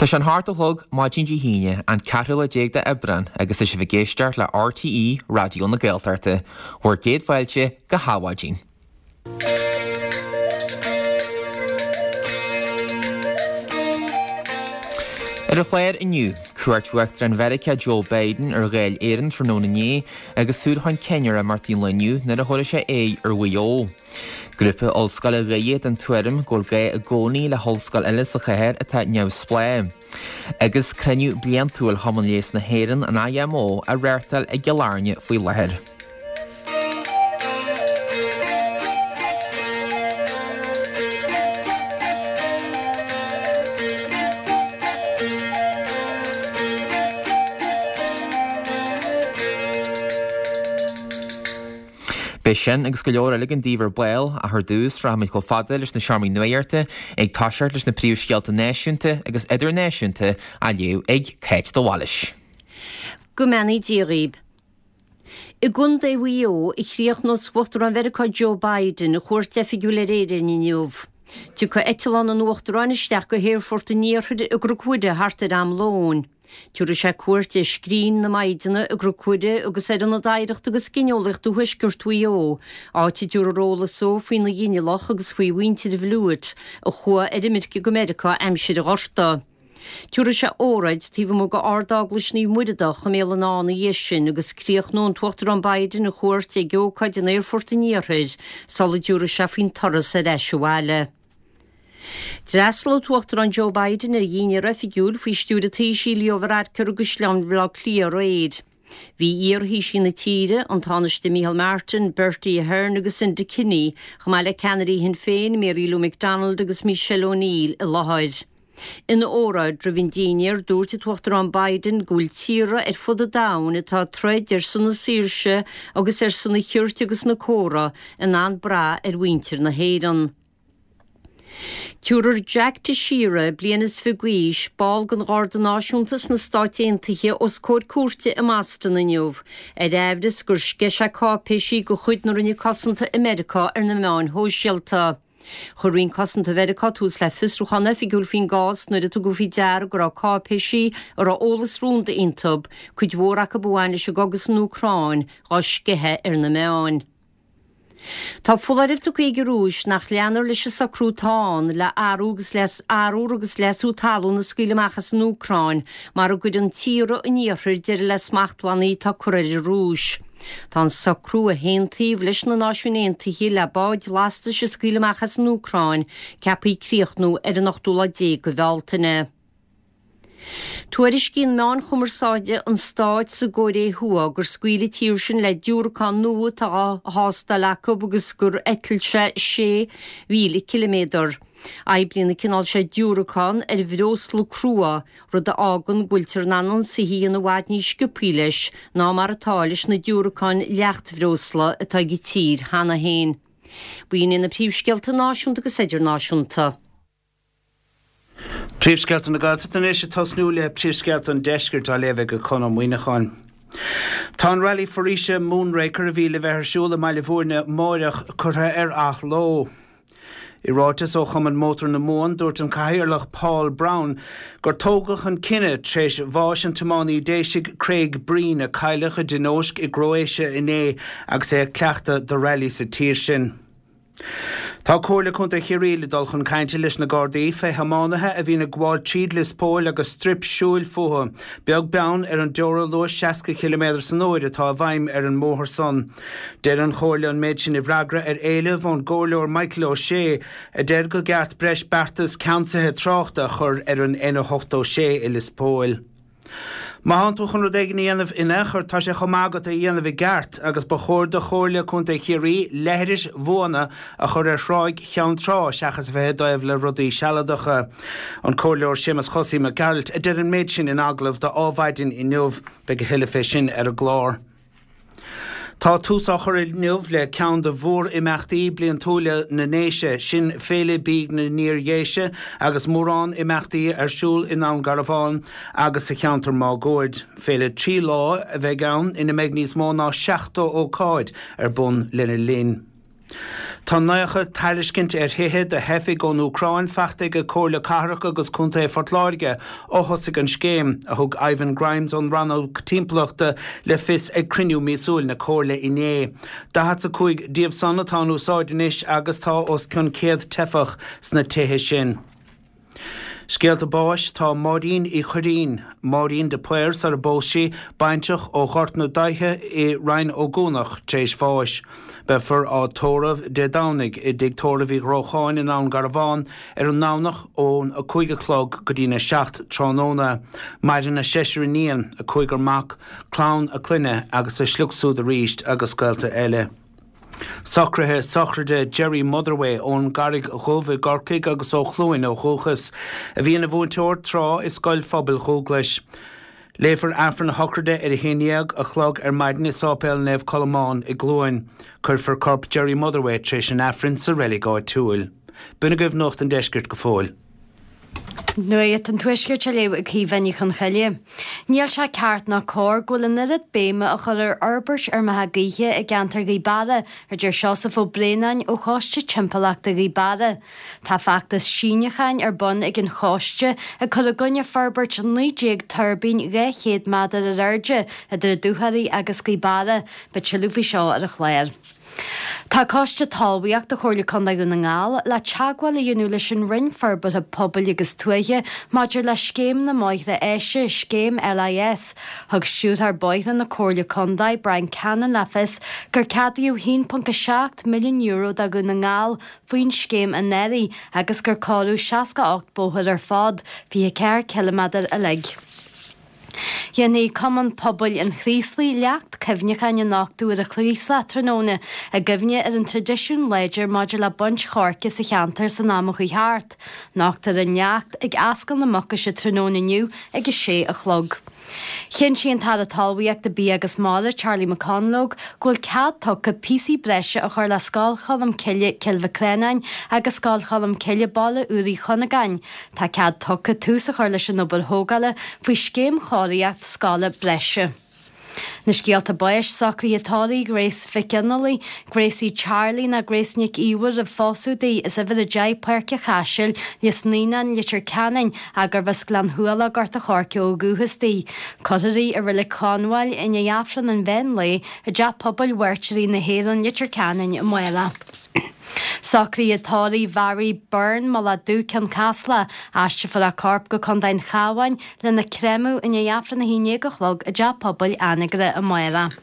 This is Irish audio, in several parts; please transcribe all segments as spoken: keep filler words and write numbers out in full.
Tá sé an hocht a chlog maidin Dé hAoine an ceathrú lá déag d'Aibreán agus tá sibh ag éisteacht le RTÉ Raidió na Gaeltachta, bhur gcéad fáilte go hAdhmhaidin. Ar an chlár inniu, cuairt Uachtarán Mheiriceá Joe Biden ar Dháil Éireann tráthnóna inné agus súil chun cinn ar imeachtaí an lae inniu nuair a thabharfaidh sé aghaidh ar Mhaigh Eo. Grúpa Ollscoile Dhoire den tuairim go bhfuil gá i gcónaí le hollscoil eile sa chathair atá neamhspleách. Agus cruinniú bliantúil Chumann Leighis na hÉireann, an IMO, á reáchtáil i gCill Airne faoi láthair. Beidh sin agus go leor eile againn daoibh ar ball, ach ar dtús, rachaimid chomh fada leis na seomraí nuachta, ag toiseacht leis na príomhscéalta náisiúnta agus idirnáisiúnta á léamh ag Cáit de Bhailís. Go mbeannaí Dia dhaoib. I gContae Mhaigh Eo a chríochnós Uachtarán Mheiriceá Joe Biden a chuairt oifigiúil ar Éirinn inniu. Tiocfaidh eitleán an Uachtaráin isteach go hAerfort an Iarthair i gCnoc Mhuire thart ar am lóin. Tabharfaidh sé cuairt ar Scrín na Maighdine i gCnoc Mhuire agus ar Ionad Oidhreachta agus Gineolaíochta Thuaisceart Mhaigh Eo, áit a dtabharfar eolas dó faoina ghinealach agus faoi mhuintir Bhliúit a chuaigh ar imirce go Meiriceá aimsir an Ghorta. Tabharfaidh sé óráid taobh amuigh de Ard-Eaglais Naomh Muireadhach i mBéal an Átha ina dhiaidh sin agus críochnóidh an tUachtarán Biden a chuairt ag ócáid in Aerfort an Iarthair sula dtabharfaidh sé faoin turas ar ais abhaile. D'fhreastail an tUachtarán Joe Biden ar dhinnéar oifigiúil faoi stiúir an Taoisigh Leo Varadkar i gCaisleán Bhaile Átha Cliath aréir. Bhí iar-Thaoisigh na tíre, an Tánaiste Micheál Martin, Bertie Ahern agus Enda Kenny, chomh maith le ceannairí Shinn Féin, Mary Lou McDonald agus Michelle O'Neill i láthair. Ina óráid roimh an dinnéar, dúirt an tUachtarán Biden go bhfuil tíortha ar fud an domhain atá ag troid ar son na saoirse agus ar son an chirt agus na córa in ann brath ar mhuintir na hÉireann. Tabharfar Jack Teixeira, bliain is fiche d'aois, ball den Gharda Náisiúnta sna Stáit Aontaithe, os comhair cúirte i mBoston inniu, ar aimhreas gur sceith sé cáipéisí de chuid na Roinne Cosanta i Meiriceá ar na meáin shóisialta. Chuir Roinn Cosanta Mheiriceá tús le fiosrúchán oifigiúil faoin gcás nuair a tugadh faoi deara go raibh cáipéisí a raibh eolas rúnda iontu, cuid mhór acu a bhain leis an gcogadh san Úcráin, dhá sceitheadh ar na meáin. Tá foláireamh tugtha ag an Rúis nach leanfar leis an socrú atá ann le arú agus leas arbhar agus leasú talún a scaoileadh amach as an Úcráin mara gcuireann tíortha an Iarthair deireadh le smachtbhannaí atá curtha ar an Rúis. Tá an socrú a haontaíodh leis na Náisiúin Aontaithe le báid lastais a scaoileadh amach as an Úcráin ceaptha críochnú ar an ochtú lá déag de Bhealtaine. Tuairiscíonn meáin chumarsáide an stáit sa gCóiré Thuaidh gur scaoil an tír sin le diúracán nua atá á thástáil acu agus gur eitil sé sé mhíle ciliméadar. Oibríonn an cineál seo diúracán ar bhreosla crua, rud a fhágann go bhfuiltear in ann ionsaithe a dhéanamh i bhfad níos sciobthaí leis ná mar atá leis na diúracáin leachtbhreosla atá ag an tír cheana féin. B'in iad na príomhscéalta náisiúnta agus idirnáisiúnta. Príomhscéalta na Gaeltachta anois ag tosnú le príomhscéalta an deiscirt á léamh ag Conn Ó Muíneacháin. Tá an Rally Foraoise Moonraker a bhí le bheith ar siúl i mBaile Bhúirne amáireach curtha ar athló. I ráiteas ó Chumann Mótar na Mumhan dúirt an Cathaoirleach Paul Browne gur tógadh an cinneadh tar éis bháis an tiománaí Déisigh Craig Breen a cailleadh i dtionóisc i gCróasia inné agus é ag cleachtadh do rally sa tír sin. Tá Comhairle Contae Chiarraí le dul chun cainte leis na Gardaí fé thiománaithe a bhíonn ag gabháil tríd Lios Póil agus strip siúil fúthu, beag beann ar an dteora luais seasca ciliméadar san uair atá i bhfeidhm ar an mbóthar san. Deir an Chomhairle an méid sin i bhfreagra ar éileamh ón gComhairleoir Michael Ó Sé a deir go gceart breis beartas ceansaithe tráchta a chur ar an N ochtó sé i Lios Póil. Má thánn tú chun rud éigin a dhéanamh in aon chor, tá sé chomh maith agat é a dhéanamh i gceart, agus ba chóir do Chomhairle Contae Chiarraí leithris bhuana a chur ar thráigh Cheann Trá seachas a bheith i dtaobh le rudaí sealadacha. An Comhairleoir Séamus Chosaí Mac Gearailt a deir an méid sin in agallamh do Adhmhaidin inniu. Beidh a thuilleadh fé sin ar an gclár. Tá tús á chur inniu le ceann de mhór-imeachtaí bliantúla na nDéise, sin Féile Bídh na nIar-Dhéise agus mórán imeachtaí ar siúl i nDún Garbhán agus sa cheantar máguaird. Féile trí lá a bheidh ann ina mbeidh níos mó ná seachtó ócáid ar bun lena linn. Tá naocha tairiscint ar thithe do theifigh ón Úcráin faighte ag Comhairle Cathrach agus Contae Phort Láirge ó thosaigh an scéim, a thug Ivan Grimes ón rannóg timpeallachta le fios ag cruinniú míosúil na Comhairle inné. Daichead a cúig díobh san atá in úsáid anois agus tá os cionn céad teifeach sna tithe sin. Scéalta báis tá Máirín Uí Chuirrín, Máirín de Paor sar a bpós sí, baintreach ó Ghort na Daithe i Rinn Ó gCuanach tar éis bháis. Beifear á tórramh Dé Domhnaigh i dTigh Tórraimh Uí Ghrócháin i nDún Garbhán ar an nDomhnach ón a cúig a chlog go dtína seacht tráthnóna. Maireann a seisear iníon, a cúigear mac, clann a clainne agus a sliocht súd arís agus gaolta eile. Socruithe sochraide Jerry Motherway ón gCarraig Dhubh i gCorcaigh agus ó Chluain ó dhúchas, a bhí ina mhúinteoir tráth i Scoil Phobail Dhúglais. Léifear Aifreann a shocraide ar a haon dhéag a chlog ar maidin i Sáipéal Naomh Colmán i gCluain. Cuirfear corp Jerry Motherway tar éis an Aifrinn sa reilig áitiúil. B'in agaibh Nuacht an Deiscirt go fóill. Nuacht an Tuaiscirt á léamh ag Caoimhe Ní Chonchoille. Níl sé ceart ná cóir go bhfuil an oiread béime á chur ar fhorbairt fheirmeacha gaoithe i gceantar Ghaoth Beara, a deir Seosamh Ó Braonáin ó Choiste Timpeallachta Ghaoth Beara. Tá feachtas síniúcháin ar bun ag an choiste ag cur i gcoinne forbairt naoi déag tuirbín dhá chéad méadar ar airde idir an Dúchoraidh agus Gaoth Beara. Beidh tuilleadh faoi seo ar an chlár. Tá Coiste Talmhaíochta Chomhairle Contae Dhún na nGall le teagmháil a dhéanamh leis an Roinn Forbartha Pobail agus Tuaithe maidir le Scéim na mBóithre Áise, Scéim LIS. Thug Stiúrthóir Bóithre na Comhairle Contae, Brian Cannon le fios gur ceadaíodh a haon ponc a seacht milliún euro do Dhún na nGall faoin scéim anuraidh agus gur cóiríodh seasca a ocht bóthar ar fad, fiche ceathair ciliméadar uilig. Déanfaidh Cumann Pobail an Chraoslaigh leacht cuimhneacháin a nochtadh ar an Chraoslach tráthnóna i gcuimhne ar an traidisiún láidir maidir le baint choirce sa cheantar san am a chuaigh thart. Nochtfar an leacht ag Ascaill na Mucaise tráthnóna inniu ag a sé a chlog. Chinntigh an tAire Talmhaíochta, Bia agus Mara, Charlie McConalogue, go bhfuil cead tugtha píosaí breise a chur le Scoil Cholm Cille, Cill Mhic Reanáin agus Scoil Cholm Cille, Baile Úr Uí Chunagáin. Tá cead tugtha tús a chur leis an obair thógála faoi scéim chóiríocht scoile breise. Na scéalta báis, socruithe tórraimh Grace Mhic Fhionnghaile, Gracie Charlie nó Grace Nic Íomhair roimh phósadh di, as uimhir a deich Páirc a' Chaisil, Lios Naíonáin, Leitir Ceanainn, ach gurbh as Gleann Shuala, Gort a' Choirce ó dhúchas di. Cuirfear í i Reilig Chonmhail i ndiaidh Aifreann an mheán lae i dTeach Pobail Mhairtírigh na hÉireann, Leitir Ceanainn, amárach. Socruithe tórraimh Mhary Byrne, Mullach Dubh, Ceann Caslach, Aistreofar a corp go Contae an Chabháin lena créamadh i ndiaidh Aifreann a haon déag a chlog i dTeach Pobail Anagaire amárach.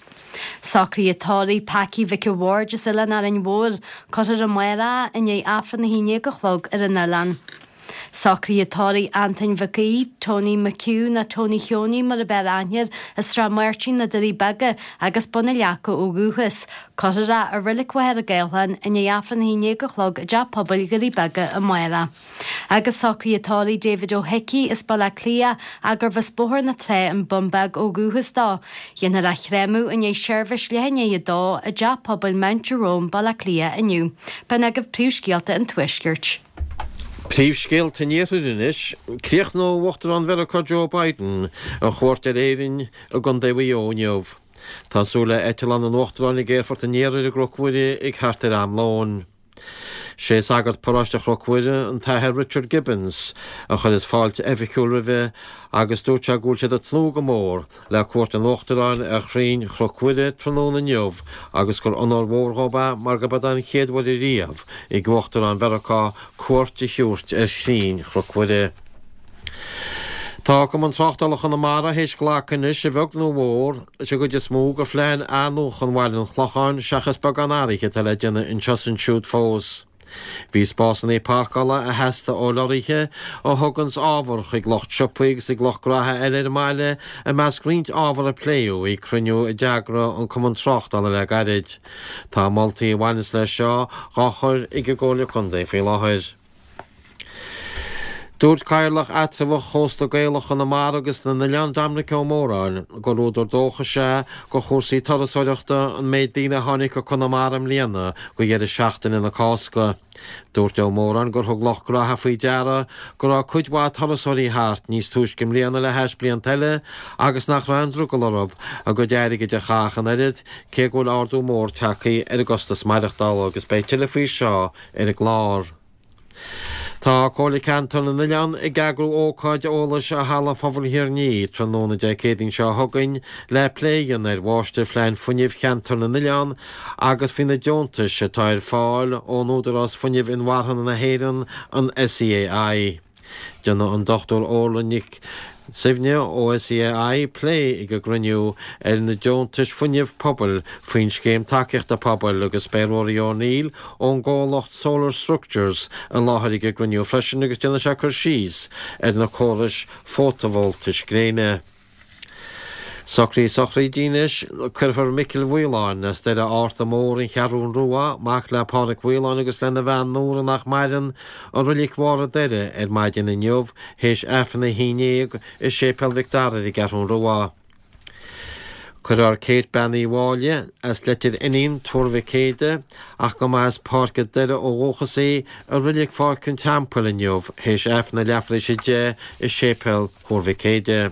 Socruithe tórraimh Packie Mhic a' Bhaird as Oileán Árainn Mhór, cuirfear amárach í i ndiaidh Aifreann a haon déag a chlog ar an oileán. Socruithe tórraimh Antoin Mhic Aoidh, Tony McHugh nó Tony Sheoiní mar ab fhearr aithne air, as Srath Máirtín, na Doirí Beaga agus Bun na Leaca ó dhúchas. Cuirfear é i Reilig Mhachaire Gathlán i ndiaidh Aifreann a haon déag a chlog i dTeach Pobail Dhoirí Beaga amárach. Agus socruithe tórraimh David Ó hIcí as Baile Átha Cliath ach gurbh as Bóthar na Trá an Bun Beag ó dhúchas dó. Dhéanfar a chréamadh i ndiaidh seirbhís leath i ndiaidh a dó i dTeach Pobail Mount Jerome, Baile Átha Cliath inniu. B'in agaibh príomhscéalta an Tuaiscirt. Príomhscéalta an Iarthair anois. Críochnóidh Uachtarán Mheiriceá Joe Biden a chuairt ar Éirinn i gContae Mhaigh Eo inniu. Tá súil le eitleán an Uachtaráin ag Aerfort an Iarthair i gCnoc Mhuire ag thart ar am lóin. Sé sagart paróiste Chnoc Mhuire, an tAthair Richard Gibbons, a chuireas fáilte oifigiúil roimhe agus dúirt sé go bhfuil siad ag tnúth go mór le cuairt an Uachtaráin ar chrainn Chnoc Mhuire tráthnóna inniu agus gur onóir mhór dhóibh é mar gurb é an chéad uair ariamh ag Uachtarán Mheiriceá cuairt a thabhairt ar chrainn Chnoc Mhuire. Tá Cumann Tráchtála Chonamara théis glacadh anois, a bheag nó a mhór, leis an gcuid is mó de phlean athnuachan Bhaile an Chlocháin seachas beagán athraithe atá le déanamh anseo is ansiúd fós. Bhí spásanna páirceála a theastaigh ó leoraithe a thuganns ábhar chuig lucht siopaí agus ag lucht gnaithe eile ar an mbaile i measc roinnt ábhar a pléadh ag cruinniú a d'eagraigh an Cumann Tráchtála le gairid. Tá moltaí a bhaineas leis seo dhá chur ag an gComhairle Contae faoi láthair. Dúirt Cathaoirleach Eatramhach Chósta Gaelach Chonamara agus na nOileán Dominic Ó Móráin gur údar dóchais é do chúrsaí turasóireachta an méid daoine a tháinig go Conamara i mbliana go dheireadh seachtaine na Cásca. Dúirt Ó Móráin gur thug lucht gnoithe faoi deara go raibh cuid mhaith turasóirí thart níos túisce i mbliana le hais blianta eile agus nach raibh aon drogall orthu a gcuid airgid a chaitheamh an oiread cé go bhfuil ardú mór tagtha ar an gcostas maireachtála agus beidh tuilleadh faoi seo ar an gclár. Tá Comhairle Ceantar na nOileán ag eagrú ócáid eolais i Halla Pobail Thír an Fhia tráthnóna Dé Céadaoin seo chugainn le plé a dhéanamh ar Mháistirphlean Fuinnimh Cheantar na nOileán agus faoi na deontais atá ar fáil ón Údarás Fuinnimh Inmharthana na hÉireann, an SEAI. Déanfaidh an Dochtúir Orla Nic Suibhne ó SEAI plé ag an gcruinniú ar na deontais fuinnimh pobail faoin Scéim Tacaíochta Pobail agus beidh Rory O'Neill ón gcomhlacht Solar Structures i láthair ag an gcruinniú freisin agus déanfaidh sé cur síos ar na córais fótavoltais gréine. Socruithe sochraide anois, Cuirfear Micil Mhaoláin as Doire Fhárta Mór, An Cheathrún Rua, mac le Pádraic Mhaoláin agus lena bhean Nóra nach maireann, i Reilig Bharr an Doire ar maidin inniu théis Aifreann a haon déag i Séipéal Mhic Dara ar an gCeathrún Rua. Cuirfear Kate Bean Uí Mháille as Leitir Fhionnaín, Tuar Mhic Éadaigh, ach go mba as Páirc an Doire ó dhúchas í, i Reilig Pháirc an Teampaill inniu théis Aifreann a leathuair tar éis a deich i Séipéal Thuar Mhic Éadaigh.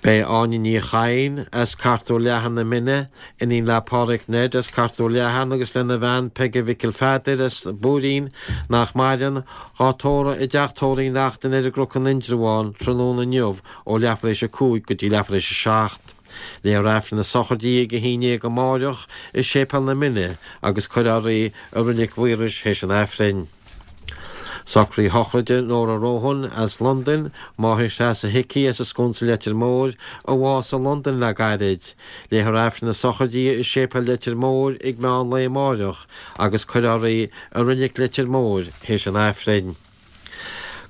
Beidh Áine Ní Chadhain as Cartúr Leathan na Mine, iníon le Pádraig Ned as Cartúr Leathan agus lena bhean Peige Mhicil Pheadair as Buairín, nach maireann, dhá tórramh i dteach tórraimh Uí Neachtain ar an gCnoc in Indreabhán tráthnóna inniu ó leathuair tar éis a cúig go dtí leathuair tar éis a seacht. Léifear Aifreann na sochraide di ag a haon déag amáireach i Séipéal na Mine agus cuirfear í i Reilig Mhaorais théis an Aifrinn. Socruithe sochraide Nóra Rohan as Londain, máthair Threasa Hickey as an Sconsa Leitir Móir, a bhásaigh i Londain le gairid. Léifear Aifreann na sochraide di i Séipéal Leitir Móir ag meán lae amáireach agus cuirfear í i Reilig Leitir Móir théis an Aifrinn.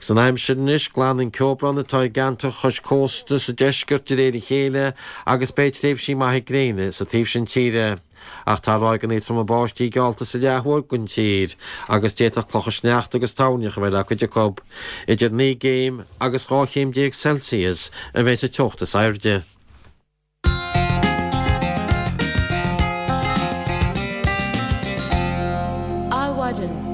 Agus an aimsir anois, glanfaidh an ceobrán atá i gceantar chois cósta sa deisceart de réir a chéile agus beidh tréimhsí maithe gréine sa taobh sin tíre. Ach tá ráigeanna troma báistí geallta sa leath thuaidh den tír agus d'fhéadfadh clocha sneachta agus toirneach a bheith le cuid acu. Idir naoi gcéim agus dhá chéim déag Celsius a bheidh sa teocht is airde. Adhmhaidin.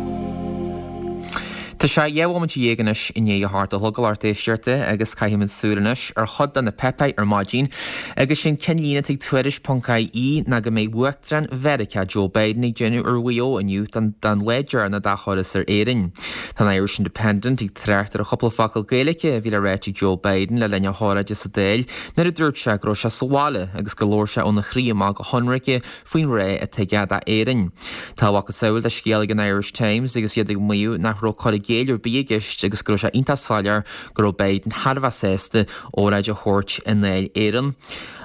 Tá sé dhá bhomaite dhéag anois i ndiaidh a hocht a chlog, a lucht éisteachta, agus caithfimid súil anois ar chuid de na páipéir ar maidin agus sin ceannlíne atá ag Tuairisc ponc IE ná go mbeidh Uachtarán Mheiriceá Joe Biden ag déanamh ar Mhaigh Eo inniu don don lá deireanach dá thuras ar Éirinn. Tá an Irish Independent ag trácht ar a chúpla focal Gaeilge a bhí le ráit ag Joe Biden le linn a hóráide sa Dáil nuair a dúirt sé go raibh sé sa bhaile agus gur labhair sé óna chroí amach go hionraice faoin ngrá atá aige d'Éirinn. Tá a mhacasamhail de scéal ag an Irish Times agus iad ag maíomh nach raibh cur i gcéill ar bith i gceist agus go raibh sé iontach soiléir go raibh Biden thar a bheith sásta óráid a thabhairt i nDáil Éireann.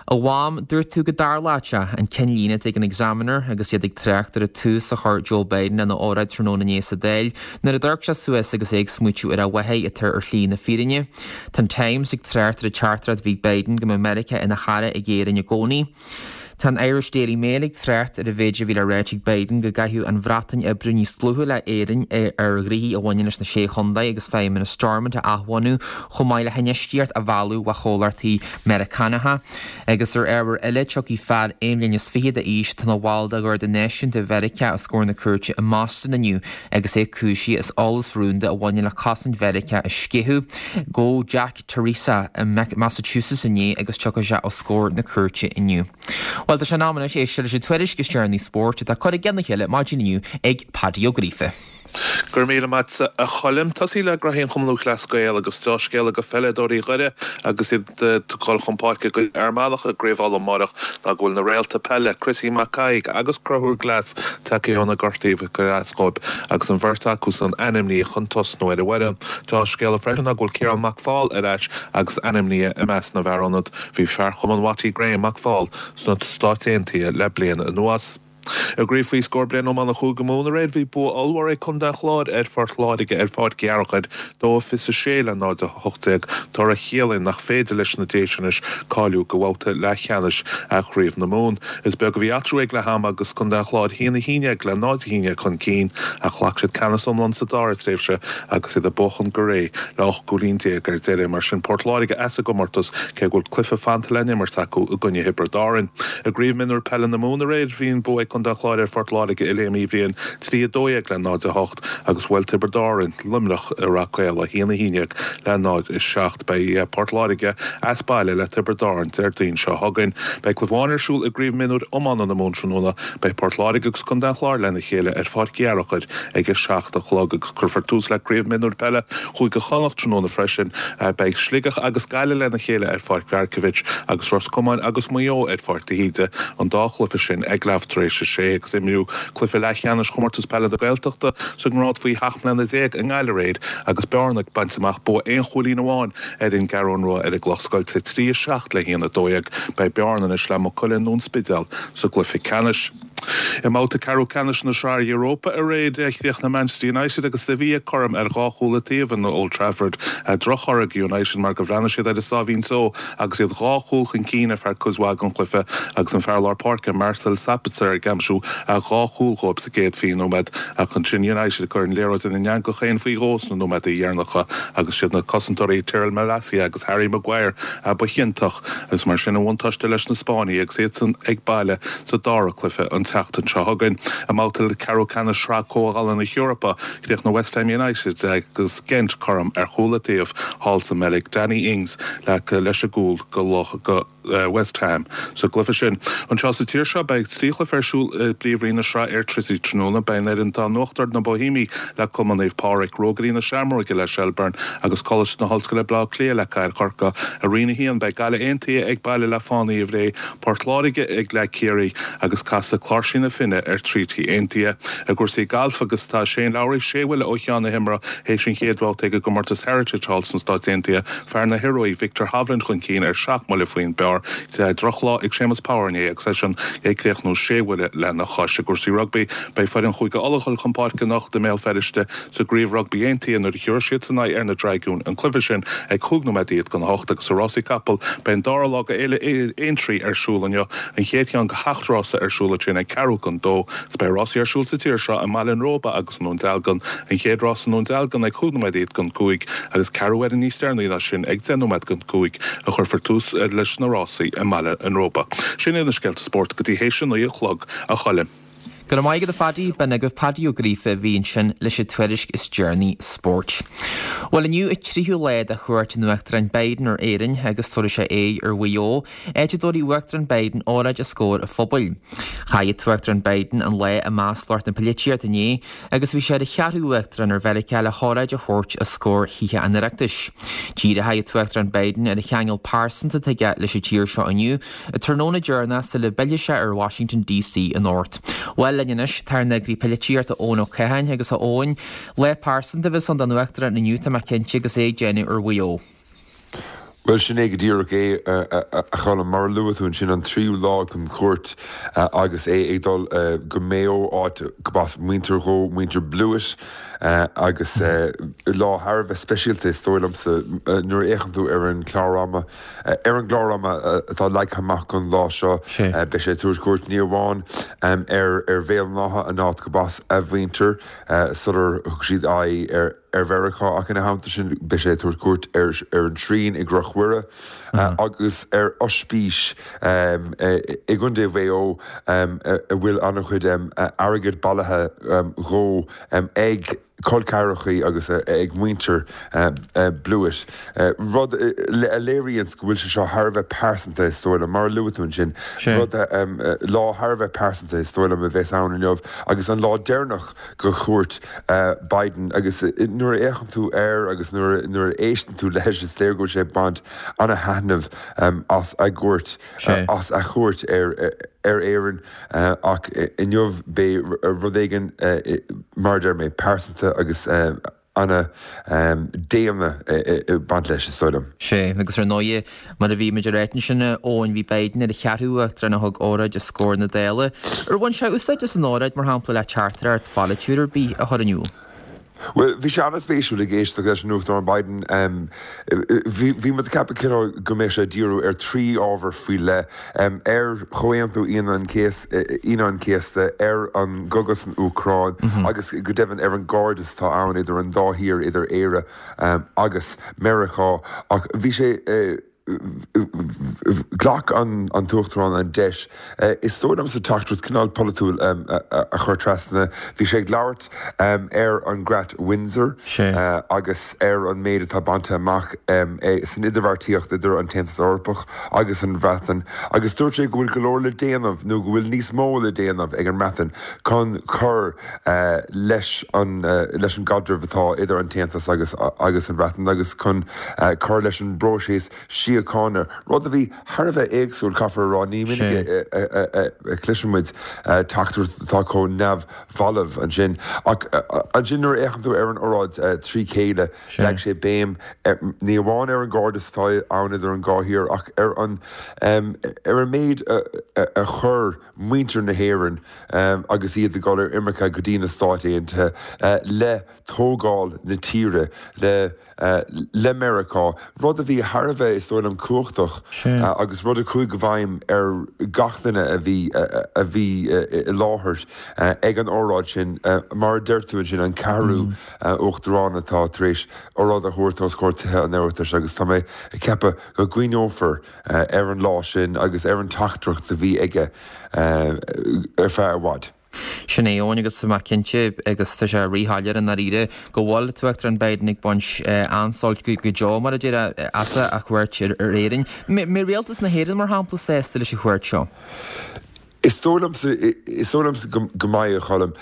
A Mham, dúirt tú go dtarlódh sé, an ceannlíne atá ag an Examiner agus iad ag trácht ar an tús a chuir Joe Biden lena óráid tráthnóna inné sa Dáil nuair a d'amharc sé suas agus é ag smaoitiú ar a mháthair atá ar shlí na fírinne. Tá an Times ag trácht ar an teachtaireacht a bhí ag Biden go mbeadh Meiriceá ina chara ag Éirinn i gcónaí. Tá an Irish Daily Mail ag trácht ar an mhéid a bhí le ráit ag Biden go gcaithfeadh an Bhreatain oibriú níos dlúithe le Éirinn ar ghnoithí a bhaineann leis na Sé Chontae agus feidhmeannas Stormont a athbhunú chomh maith le hinfheistíocht a mhealladh ó chomhlachtaí Meiriceánacha. Agus ar ábhar eile, tiocfaidh fear aon bhliain is fiche d'aois atá ina bhall de Gharda Náisiúnta Mheiriceá os comhair na cúirte i mBoston inniu agus é cúisithe as eolas rúnda a bhaineann le cosaint Mheiriceá a sceitheadh. Gabhadh Jack Teresa i Massachusetts inné agus tiocfaidh sé os comhair na cúirte inniu. Bhuel, tá sé in am anois éisteacht leis an tuairisc is deireanaí spóirt atá curtha i gceann a chéile maidin inniu ag Paddy Ó Gríofa. Go raibh míle maith agat a Choilm. Tosaí le graithí an Chumann Lúthchleas Gael agus dea-scéala go pheileadóirí Dhoire agus iad ag dul chun páirce i gcoinne Fhear Manach i gCraobh Uladh amárach ná go bhfuil na réalta peile Chrissy Mac Thaidhg agus Conchúr Glass tagtha ó na gortaí ar ais dóibh agus an bheirt acu san ainmnithe chun tosnú ar an bhfoireann. Dea-scéala freisin ná go bhfuil Ciarán Mac Fáil ar ais agus ainmnithe i measc na bhfear ionad. Bhí fear Chumann Watty Graham Mac Fáil sna Stáit Aontaithe le bliain anuas. I gcraobh faoi scór bliain iomána Chúige Mumhan aréir bhí bua ollmhór ag Contae an Chláir ar Phort Láirge ar Pháirc Uí Fhearchair, dó fiche a sé le náid a hocht déag, toradh a chiallaíonn nach féidir leis na Déise anois cáiliú go bhabhta leathcheannais Chraobh na Mumhan. Is beag a bhí eatarthu ag leath ama agus Contae an Chláir a haon a haon déag le náid a haon déag chun cinn ach ghlac siad ceannas iomlán sa dara tréimhse agus iad ag buachan go réidh le ocht gcúilín déag ar deireadh. Mar sin Port Láirge as an gcomórtas cé go bhfuil cluiche fanta le n-imirt acu i gcoinne Thiobraid Árann. I gCraobh Mionúr Peile na Mumhan aréir bhí an bua ag Contae an Chláir ar Phort Láirge i Léim Uí Bhriain, trí a dó dhéag le náid a hocht, agus bhuail Tiobraid Árann Luimneach i Rath Caola, a haon a haon déag le náid a seacht. Beidh Port Láirge as baile le Tiobraid Árann Déardaoin seo chugainn. Beidh cluiche amháin ar siúl i gCraobh Mionúr Iomána na Mumhan tráthnóna. Beidh Port Láirge agus Contae an Chláir lena chéile ar Pháirc Uí Fhearchair ag a seacht a chlog agus cuirfear tús le Craobh Mionúr Peile Chúige Chonnacht tráthnóna freisin. Beidh Sligeach agus Gaillimh lena chéile ar Pháirc Mharkievicz agus Ros Comáin agus Maigh Eo ar Pháirc de hÍde, an dá chluiche sin ag leath tar éis a sé agus imríodh cluiche leathcheannais Chomórtas Peile na Gaeltachta sa ngrád faoi sheacht mbliana déag i nGaillimh aréir agus Bearna ag baint amach bua aon chúilín amháin ar an gCeathrú Rua ar an gCloch Scoilte, trí a seacht le haon a dó dhéag. Beidh Bearna anois le Maigh Cuilinn nó an Spidéal sa gcluiche ceannais. I mbabhta ceathrú ceannais na Sraithe Europa aréir, chríochnaigh Manchester United agus Sevilla cothrom ar dhá chúl an taobh in Old Trafford. Drochthoradh do United mar gur bhreathnaigh siad ar a sáimhín só agus iad dhá chúl chun cinn ar feadh cuid mhaith den chluiche agus an fear lár páirce Marcel Sabitzer ag aimsiú dhá chúl dhóibh sa gcéad fiche nóiméad ach ansin United ag cur an liathróid ina n-eangach féin faoi dhó sna nóiméadaí dheireanacha agus siad na cosantóirí Tyrell Malacia agus Harry Maguire ba chiontach agus mar sin an bhuntáiste leis na Spáinnigh agus iadsan ag baile sa dara cluiche an tseachtain seo chugainn. I mbabhta ceathrú ceannais Shraith Comhdhála na hEorpa, chríochnaigh West Ham United agus Gent cothrom ar chúl an taobh thall sa mBeilg. Danny Ings leis an gcúl go West Ham sa gcluiche sin. Anseo sa tír seo beidh trí chluiche ar siúl i bPríomhroinn na Sraithe Airtricity tráthnóna. Beidh an fhoireann atá in uachtar, na Boihéamaigh le Cumann Naomh Pádraig, Rógairí na Seamróige le Shelbourne agus Coláiste na hOllscoile Baile Átha Cliath le Cathair Chorcaí. I Roinn a haon beidh Gaillimh Aontaithe ag baile le Fánaithe Bhré, Port Láirge ag le Ciarraí agus casfaidh Cláirsigh na Finne ar Treaty Aontaithe. I gcúrsaí gailf agus tá Shane Lowry sé bhuille ó cheann na himeartha théis an chéad bhabhta ag an gcomórtas Heritage thall sna Stáit Aontaithe. Fear na hIoruaí Viktor Hovland chun cinn ar seacht mbuille faoin bpar. Drochlá ag Séamus Power inné agus eisean ag críochnú sé bhuille lena chois. I gcúrsaí rugbaí beidh foireann Chúige Uladh ag dul chun páirce anocht i mBéal Feirste sa gcraobh rugbaí aontaithe nuair a thiúrfaidh siadsan aghaidh ar na Dragúin, an cluiche sin ag cúig nóiméad don a hocht agus sa rásaí capall beidh an dara lá de Fhéile Aintree ar siúl inniu, an chéad cheann de sheacht rása ar siúl ansin ag ceathrú don dó. Is beidh rásaí ar siúl sa tír seo i mBaile an Róba agus i nDún Dealgan, an chéad rás i nDún Dealgan ag cúig nóiméad iad don cúig agus ceathrú uaire níos deireanaí ná sin ag deich nóiméad don cúig a chuirfear tús leis na rásaí i mBaile an Róba. Sin iad na scéalta spóirt go dtí théis a naoi a chlog, a Choilm. Go raibh maith agat a Phaddy, b'in agaibh Paddy Ó Gríofa a bhí ansin leis an tuairisc is deireanaí spóirt. Bhuel inniu an tríú lá de chuairt an Uachtaráin Biden ar Éirinn agus tabharfaidh sé aghaidh ar Mhaigh Eo, áit a dtabharfaidh Uachtarán Biden óráid os comhair an phobail. Chaith an tUachtarán Biden an lá i measc lucht na polaitíochta inné agus bhí sé ar an cheathrú Uachtarán ar Mheiriceá le hóráid a thabhairt os comhair Thithe an Oireachtais. Díreoidh an tUachtarán Biden ar an cheangal pearsanta atá aige leis an tír seo inniu, an tráthnóna deireanach sula bpillfidh sé ar Washington DC anocht. Bhuel linn anois tá ár n-eagraí polaitíochta Eoin Ó Catháin agus a Eoin, lá pearsanta a bheas ann don Uachtarán inniu tá mé cinnte agus é ag déanamh ar Mhaigh Eo. Bhuel, sin é go díreach é, a Choilm. Mar a luaigh tú ansin, an tríú lá den chuairt agus é ag dul go Maigh Eo, áit gurb as muintir dhó, muintir Blewitt, agus lá thar a bheith speisialta is dóigh liomsa nuair a fhéachann tú ar an chlár ama, ar an gclár ama atá leagtha amach don lá seo. Beidh sé ag tabhairt cuairt ní amháin ar ar Bhéal an Átha, an áit gurb as a mhuintir sular thug siad aghaidh ar ar Mheiriceá ach ina theannta sin beidh sé ag tabhairt cuairt ar ar an tSrian i gCnoc Mhuire agus ar ospís i gContae Mhaigh Eo a bhfuil an-chuid airgid bailithe dhó ag col ceathrachaí agus ag muintir Blewitt, rud a léiríonns go bhfuil sé seo thar a bheith pearsanta is dóigh liom, mar a luaigh tú ansin, rud lá thar a bheith pearsanta is dóigh liom a bheas ann inniu agus an lá deireanach de chuairt Biden agus nuair a fhéachann tú air agus nuair nuair a éisteann tú leis is léir go bhfuil sé ag baint ana-thaitneamh as a gcuairt as a chuairt ar ar Éirinn ach inniu beidh rud éigin mar a deir mé pearsanta agus ana daonna ag baint leis, is dóigh liom. Sea, agus ar ndóigh, mar a bhí muid ag ráit ansin, Eoin, bhí Biden ar an cheathrú uachtarán a thug óráid os comhair na Dála. Ar bhain sé úsáid as an óráid, mar shampla, le teachtaireacht pholaitiúil ar bith a chur in iúl? Bhuel, bhí sé an-spéisiúil ag éisteacht leis an Uachtarán Biden. Bhí bhí muid ag ceapadh cineál go mbeadh sé ag díriú ar trí ábhar faoi leith, ar Chomhaontú Aoine an Aoine an Chéasta, ar an gcogadh san Úcráin agus go deimhin ar an gcairdeas atá ann idir an dá thír, idir Éire agus Meiriceá. Ach bhí sé. Ghlac an tUachtarán an deis, is dóigh liomsa, teachtaireacht cineál polaitiúil a chur trasna. Bhí sé ag labhairt ar an gCreat Windsor agus ar an méid atá bainte amach san idirbheartaíocht idir an tAontas Eorpach agus an Bhreatain agus dúirt sé go bhfuil go leor le déanamh nó go bhfuil níos mó le déanamh ag an mBreatain chun cur leis an leis an gcaidreamh atá idir an tAontas agus agus an Bhreatain agus chun cur leis an bpróiseas síochána, rud a bhí thar a bheith éagsúil, caithfear a rá, ní minic a chloiseann muid teachtaireacht atá chomh neamhbhalbh ansin. Ach ansin nuair a fhéachann tú ar an óráid trí chéile, leag sé béim ní amháin ar an gcairdeas atá ann idir an dhá thír ach ar an ar an méid a chuir muintir na hÉireann agus iad ag dul ar imirce go dtí na Stáit Aontaithe le tógáil na tíre, le le Meiriceá, rud a bhí thar a bheith, is dóigh liom, cumhachtach agus rud a chuaigh i bhfeidhm ar gach duine a bhí a bhí i láthair ag an óráid sin. Mar a deir tú ansin, an ceathrú uachtarán atá tar éis óráid a thabhairt os comhair Tithe an Oireachtais agus tá mé ag ceapadh go gcuimhneofar ar an lá sin agus ar an teachtaireacht a bhí aige ar feadh i bhfad. Sin é, Eoin, agus tá mé cinnte, agus tá sé ríshoiléir i ndáiríre, go bhfuil an tUachtarán Biden ag baint an-sult go deo, mar a déarfá, as a chuairt ar Éirinn. Mbeidh rialtas na hÉireann, mar shampla, sásta leis an chuairt seo? Is dóigh liomsa, is dóigh liomsa go mbeidh, a Choilm.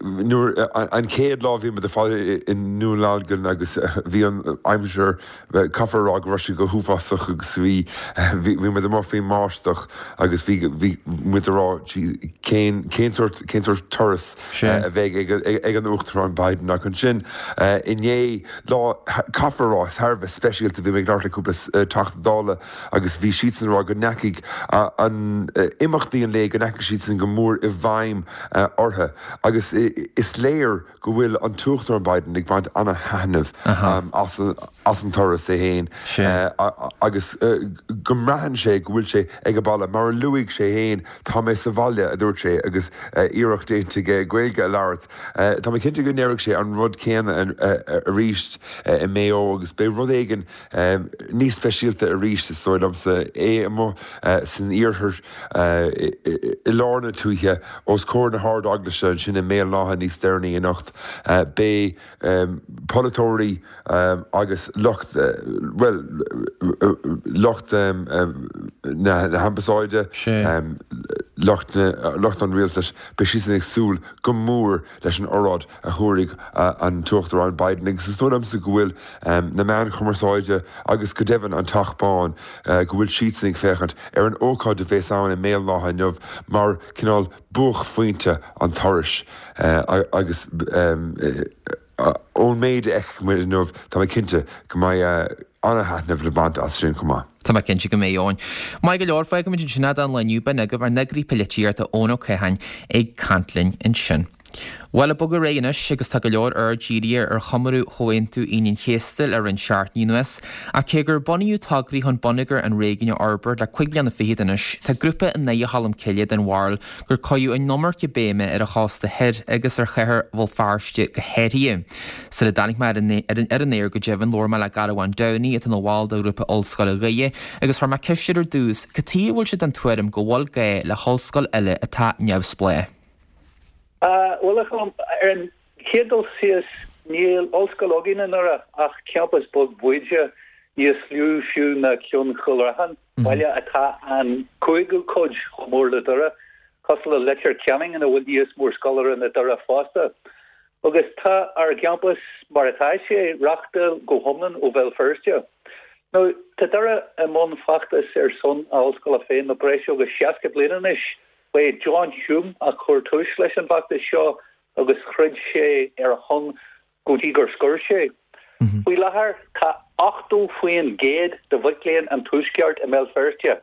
Nuair, an chéad lá bhí muid ar fad i nDún Dealgan agus bhí an aimsir, caithfear a rá go raibh sé go huafásach agus bhí, bhí muid amuigh faoin mbáisteach agus bhí, bhí muid ag rá cén, cén sórt, cén sórt turas a bheidh ag, ag an Uachtarán Biden ach ansin inné, lá, caithfear a rá, thar a bheith speisialta, bhí mé ag labhairt le cúpla Teachta Dála agus bhí siadsan ag rá go ndeachaigh an, imeachtaí an lae, go ndeachaigh siadsan go mór i bhfeidhm orthu agus is léir go bhfuil an tUachtarán Biden ag baint ana-thaitneamh as an turas é féin agus go mbraitheann sé go bhfuil sé ag baile. Mar a luaigh sé féin, tá mé sa bhaile, a dúirt sé agus iarracht déanta aige Gaeilge a labhairt. Tá mé cinnte go ndéarfaidh sé an rud céanna arís i Maigh Eo agus beidh rud éigin níos speisialta arís, is dóigh liomsa, é amuigh san iarthar i lár na tuaithe os comhair na hArd-Eaglaise ansin i mBéal an Átha níos deireanaí anocht. Beidh polaiteoirí agus lucht, bhuel, lucht na hambasáide, lucht an rialtais, beidh siadsan ag súil go mór leis an oráid a thabharfaidh an tUachtarán Biden agus is dóigh liomsa go bhfuil na meáin chumarsáide agus go deimhin an Teach Bán, go bhfuil siadsan ag féachaint ar an ócáid a bheas ann i mBéal an Átha inniu mar cineál buaicphointe an turais agus ón méid a fheicfidh muid inniu tá mé cinnte go mbeidh ana-thaitneamh le baint as sin chomh maith. Tá mé cinnte go mbeidh, Eoin. Maith go leor, fágfaimid ansin é don lá inniu, b'in agaibh ár n-eagraí polaitíochta Eoin Ó Catháin ag caint linn ansin. Bhuel, ag bogadh ar aghaidh anois agus tá go leor aird dírithe ar chomóradh Chomhaontú Aoine an Chéasta le roinnt seachtainí anuas. Ach cé gur bunaíodh tograí chun bonneagar an réigiúin a fhorbairt le cúig bliana fichead anois, tá grúpa i nDúiche Cholm Cille den bharúil gur cuireadh an iomarca béime ar an chósta thoir agus ar chathair Bhéal Feirste go háirithe. Sula dtáinig mé ar an aer go deimhin, labhair mé le Garbhán Downey, atá ina bhall de ghrúpa Ollscoile Dhoire, agus chuir mé ceist air ar dtús cad chuige a bhfuil sé den tuairim go bhfuil gá le hollscoil eile atá neamhspleách. Bhuel, a Choilm, ar an chéad dul síos, níl ollscoil againn i nDoire ach campas beag bóide, níos lú fiú ná ceann Chúil Raithin, baile atá an cúigiú cuid chomh mór le Doire, cosúil le Leitir Ceanainn ina bhfuil níos mó scoláire ná Doire fosta. Agus tá ár gcampas mar atá sé, reáchtáil go hiomlán ó Bhéal Feirste. Now, tá Doire i mbun feachtas ar son a ollscoile féin le breis agus seasca bliain anois, Ba é John Hume a chuir tús leis an bhfeachtas seo agus throid sé ar a shon go dtí gur scoir sé. Faoi láthair tá ochtó faoin gcéad de mhic léinn an Tuaisceart i mBéal Feirste.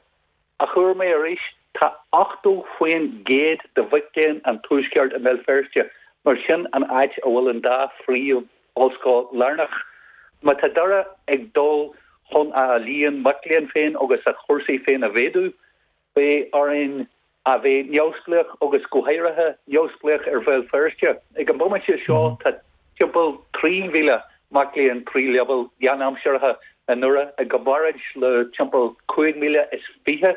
A chuir mé arís, tá ochtó faoin gcéad de mhic léinn an Tuaisceart i mBéal Feirste, mar sin an áit a bhfuil an dá phríomh ollscoil lárnach. Má tá Doire ag dul chun a líon mac léinn féin agus a chúrsaí féin a mhéadú, beidh orainn a bheith neamhspleách agus go háirithe neamhspleách ar Bhéal Feirste. Ag an bomaite seo tá timpeall trí mhíle mac léinn trí leibhéal lánaimseartha i nDoire i gcomparáid le timpeall cúig mhíle is fiche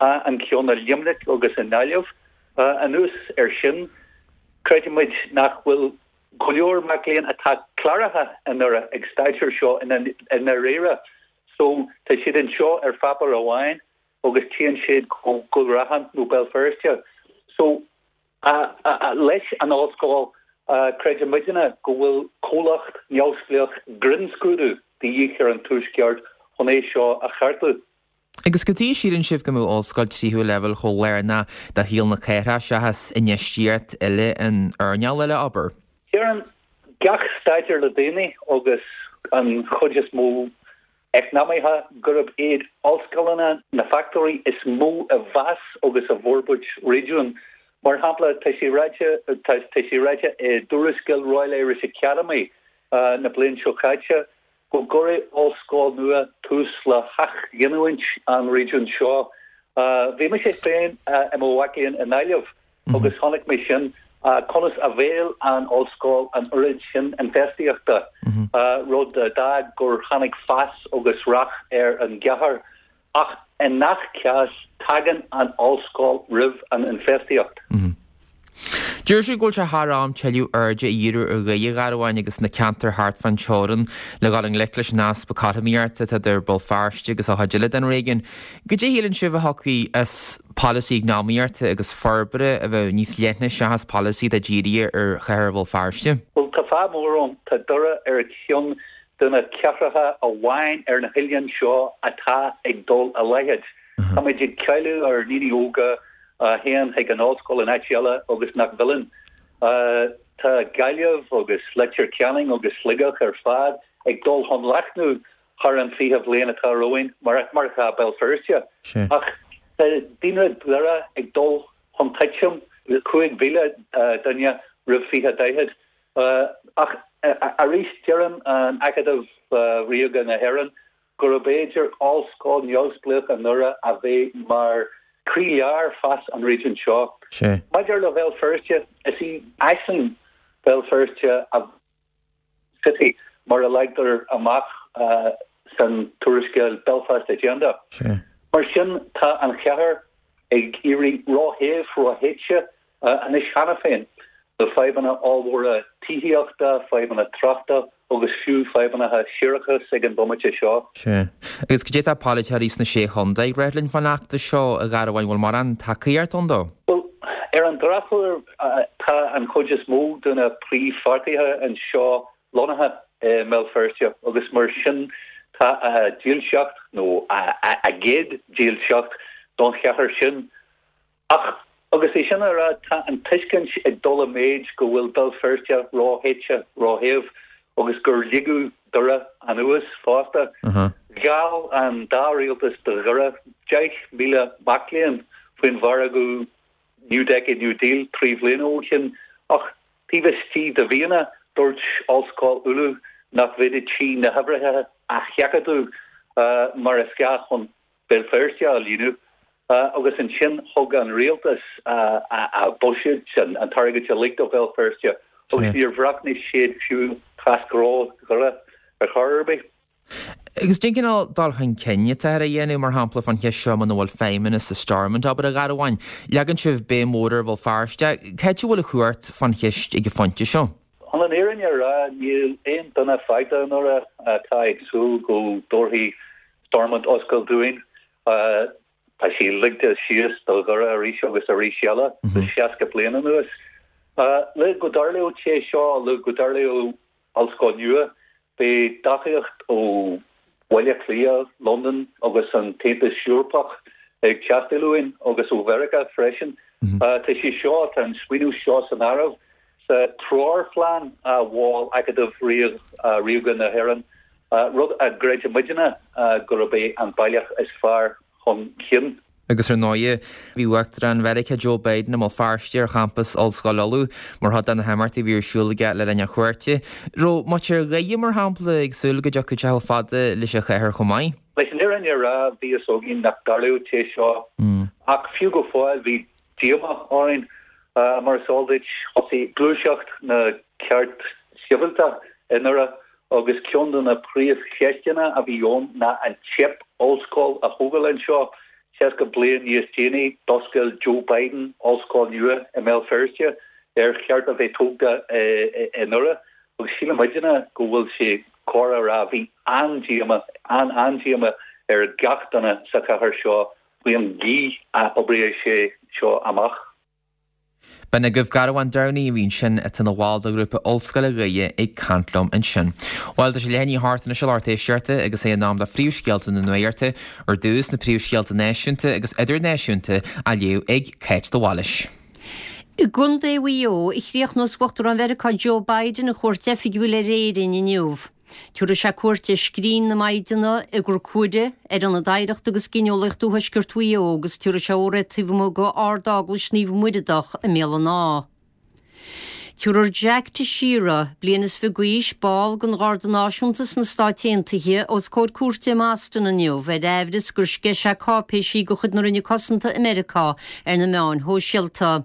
an ceann i Luimneach agus i nGaillimh. Anuas air sin, creidimid nach bhfuil go leor mac léinn atá cláraithe i nDoire ag staidéar anseo i ndáiríre. So tá siad anseo ar pháipéar amháin agus téann siad go Cúil Raithin nó Béal Feirste. So leis an ollscoil creidimidne go bhfuil comhlacht neamhspleách grinnscrúdú de dhíth ar an Tuaisceart chun é seo a cheartú. Agus cad chuige a síleann sibh go mbeadh ollscoil tríú leibhéal chomh lárnach do shaol na cathrach seachas infheistíocht eile in earnáil eile, abair? Deireann gach staidéar le déanaí agus an chuid is mó eacnamaithe gurb iad ollscoileanna na factóirí is mó i bhfás agus i bhforbairt réigiúin. Mar shampla, tá sé ráite tá sé ráite i dtuarascáil Royal Irish Academy na bliana seo caite go gcuirfidh ollscoil nua tús le hathghiniúint an réigiúin seo. Bhí mise féin i mo mhac léinn i nGaillimh agus chonaic mé sin conas a mheall an ollscoil an oiread sin infheistíochta, rud a d'fhág gur tháinig fás agus rath ar an gcathair. Ach i ngach cás, tagann an ollscoil roimh an infheistíocht. Deir sibh go bhfuil sé thar am tuilleadh airde a dhíriú ar Dhoire, a Ghearbháin, agus na ceantair thart fán teorainn le dhul i ngleic leis an easpa cothromaíochta atá idir Béal Feirste agus an chuid eile den réigiún. Goidé a shíleann sibh a thiocfaidh as polasaí eacnamaíochta agus forbartha a bheadh níos leithne seachas polasaí atá dírithe ar chathair Bhéal Feirste? Bhuel, tá fadhb mhór ann. Tá Doire ar cheann de na cathracha amháin ar na hoileáin seo atá ag dul i laghad. Táimid ag cailleadh ár ndaoine óga a théann chuig an ollscoil in áit eile agus nach bhfilleann. Tá Gaillimh agus Leitir Ceanainn agus Sligeach ar fad ag dul chun leathnú thar an fiche bhliain atá romhainn, mar atá Béal Feirste. Ach tá daonra Dhoire ag dul chun titim cúig mhíle duine roimh fiche daichead. Ach arís deireann an Acadamh Ríoga na hÉireann gurb fhéidir ollscoil neamhspleách i nDoire a bheith mar chroílár fás an réigiúin seo. Maidir le Béal Feirste, is í aisling Bhéal Feirste a City mar a leagtar amach san tuarascáil Belfast Agenda. Mar sin tá an chathair ag éirí róthe, róthéite anois cheana féin le fadhbanna ollmhóra tithíochta, fadhbanna tráchta agus fiú fadhbanna séarachais ag an bomaite seo. Sea. Agus cad é atá polaiteoirí sna Sé Chontae ag rá linn fán fheachtas seo, a Ghearbháin, bhfuil mórán tacaíocht ann dó? Bhuel, ar an drochuair, tá an chuid is mó de na príomhpháirtithe anseo lonnaithe i mBéal Feirste agus mar sin tá a dílseacht, nó a gcéad dílseacht, don chathair sin. Ach agus é sin á rá, tá an tuiscint ag dul i méid go bhfuil Béal Feirste róthéite, róshéimh agus gur ligeadh Doire anuas fosta. Gheall an dá rialtas do Dhoire deich míle mac léinn faoin mhargadh New Decade New Deal trí bhliana ó shin ach taobh istigh de mhíonna dúirt Ollscoil Uladh nach bhféadfadh sí na huimhreacha a sheachadadh mar is gá chun Béal Feirste a líonadh agus ansin thug an rialtas a bhuiséad, an t-airgead uilig do Bhéal Feirste agus níor bhreathnaigh siad fiú trasna Dhoire ar chor ar bith. Agus cén cineál dul chun cinn atáthar a dhéanamh, mar shampla, fán cheist seo muna bhfuil feidhmeannas i Stormont, abair, a Ghearbháin? Leagann sibh béim mhór ar Bhéal Feirste. Cá háit a bhfuil an chumhacht fán cheist ag an phointe seo? Chun an fhírinne a rá, níl aon duine fágtha i nDoire atá ag súil go dtabharfaidh Stormont ollscoil dúinn. Tá sí ligthe síos do Dhoire arís agus arís eile le seasca bliain anuas. Le go dtarlódh sé seo, le go dtarlódh ollscoil nua, beidh tacaíocht ó Bhaile Átha Cliath, Londain agus an tAontas Eorpach ag teastáil uainn agus ó Mheiriceá freisin. Tá sé seo, tá an smaoineamh seo san áireamh sa sa treoirphlean a mhol Acadamh Ríoga na hÉireann, rud a gcreideann muidne gurb é an bealach is fearr chun cinn. Agus ar ndóigh, bhí Uachtarán Mheiriceá Joe Biden i mBéal Feirste ar champas Ollscoil Uladh mar chuid de na himeachtaí a bhí ar siúl aige le linn a chuairte. Raibh muintir Dhoire, mar shampla, ag súil go dtiocfadh sé chomh fada leis an chathair chomh maith? Leis an fhírinne a rá, bhí fhios againn nach dtarlódh sé seo. Ach fiú go fóill, bhí díomá orainn. Mar is eol duit, thosaigh gluaiseacht na gceart sibhialta i nDoire agus ceann de na príomhcheisteanna a bhí ann ná an teip ollscoil a thógáil anseo. Seasca bliain níos déanaí, d'oscail Joe Biden ollscoil nua i mBéal Feirste ar cheart a bheith tógtha i nDoire agus síleann muidne go bhfuil sé cóir a rá bhí an-díomá, an-an-díomá ar gach duine sa chathair seo faoin gcaoi a oibrigh sé seo amach. B'in agaibh Garmhán Downey a bhí ansin atá ina bhall de ghrúpa Ollscoile Dhoire ag caint liom ansin. Bhuel, tá sé leath i ndiaidh a hocht anois a lucht éisteachta agus é in am do phríomhscéalta na nuachta, ar dtús na príomhscéalta náisiúnta agus idirnáisiúnta á léamh ag Cáit de Bhailís. I gContae Mhaigh Eo a chríochnós Uachtarán Mheiriceá Joe Biden a chuairt oifigiúil ar Éirinn inniu. Tabharfaidh sé cuairt ar Scrín na Maighdine i gCnoc Mhuire, ar Ionad Oidhreachta agus Gineolaíochta Thuaisceart Mhaigh Eo agus tabharfaidh sé óráid taobh amuigh de Ard-Eaglais Naomh Muireadhach i mBéal an Átha. Tabharfar Jack Teixeira, bliain is fiche d'aois, ball den Gharda Náisiúnta sna Stáit Aontaithe, os comhair cúirte i mBoston inniu ar aimhreas gur sceith sé cáipéisí de chuid na Roinne Cosanta i Meiriceá ar na meáin shóisialta.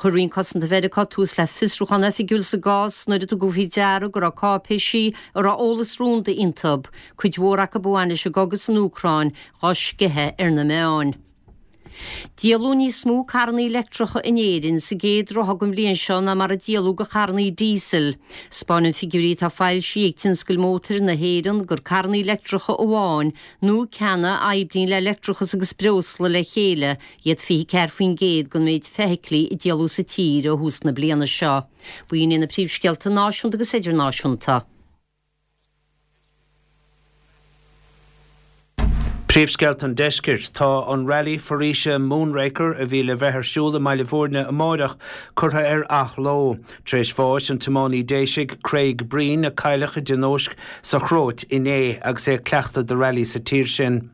Chuir Roinn Cosanta Mheiriceá tús le fiosrúchán oifigiúil sa gcás nuair a tugadh faoi deara go raibh cáipéisí a raibh eolas rúnda iontu, cuid mhór acu a bhain leis an gcogadh san Úcráin, dhá sceitheadh ar na meáin. Díoladh níos mó carrannaí leictreacha in Éirinn sa gcéad ráithe den bhliain seo ná mar a díoladh de charrannaí díosail. 'Spáineann figiúirí atá foilsithe ag Tionscal Mótair na hÉireann gur carrannaí leictreacha amháin nó ceanna a oibríonn le leictreachas agus breosla le chéile iad fiche ceathair faoin gcéad den méid feithiclí a díoladh sa tír ó thús na bliana seo. B'in iad na príomhscéalta náisiúnta agus idirnáisiúnta. Príomhscéalta an Deiscirt, Tá an Rally Foraoise Moonraker a bhí le bheith ar siúl i mBaile Bhúirne amáireach curtha ar athló tar éis bháis an tiománaí Déisigh Craig Breen a cailleadh i dtionóisc sa Chróit inné agus é ag cleachtadh do rally sa tír sin.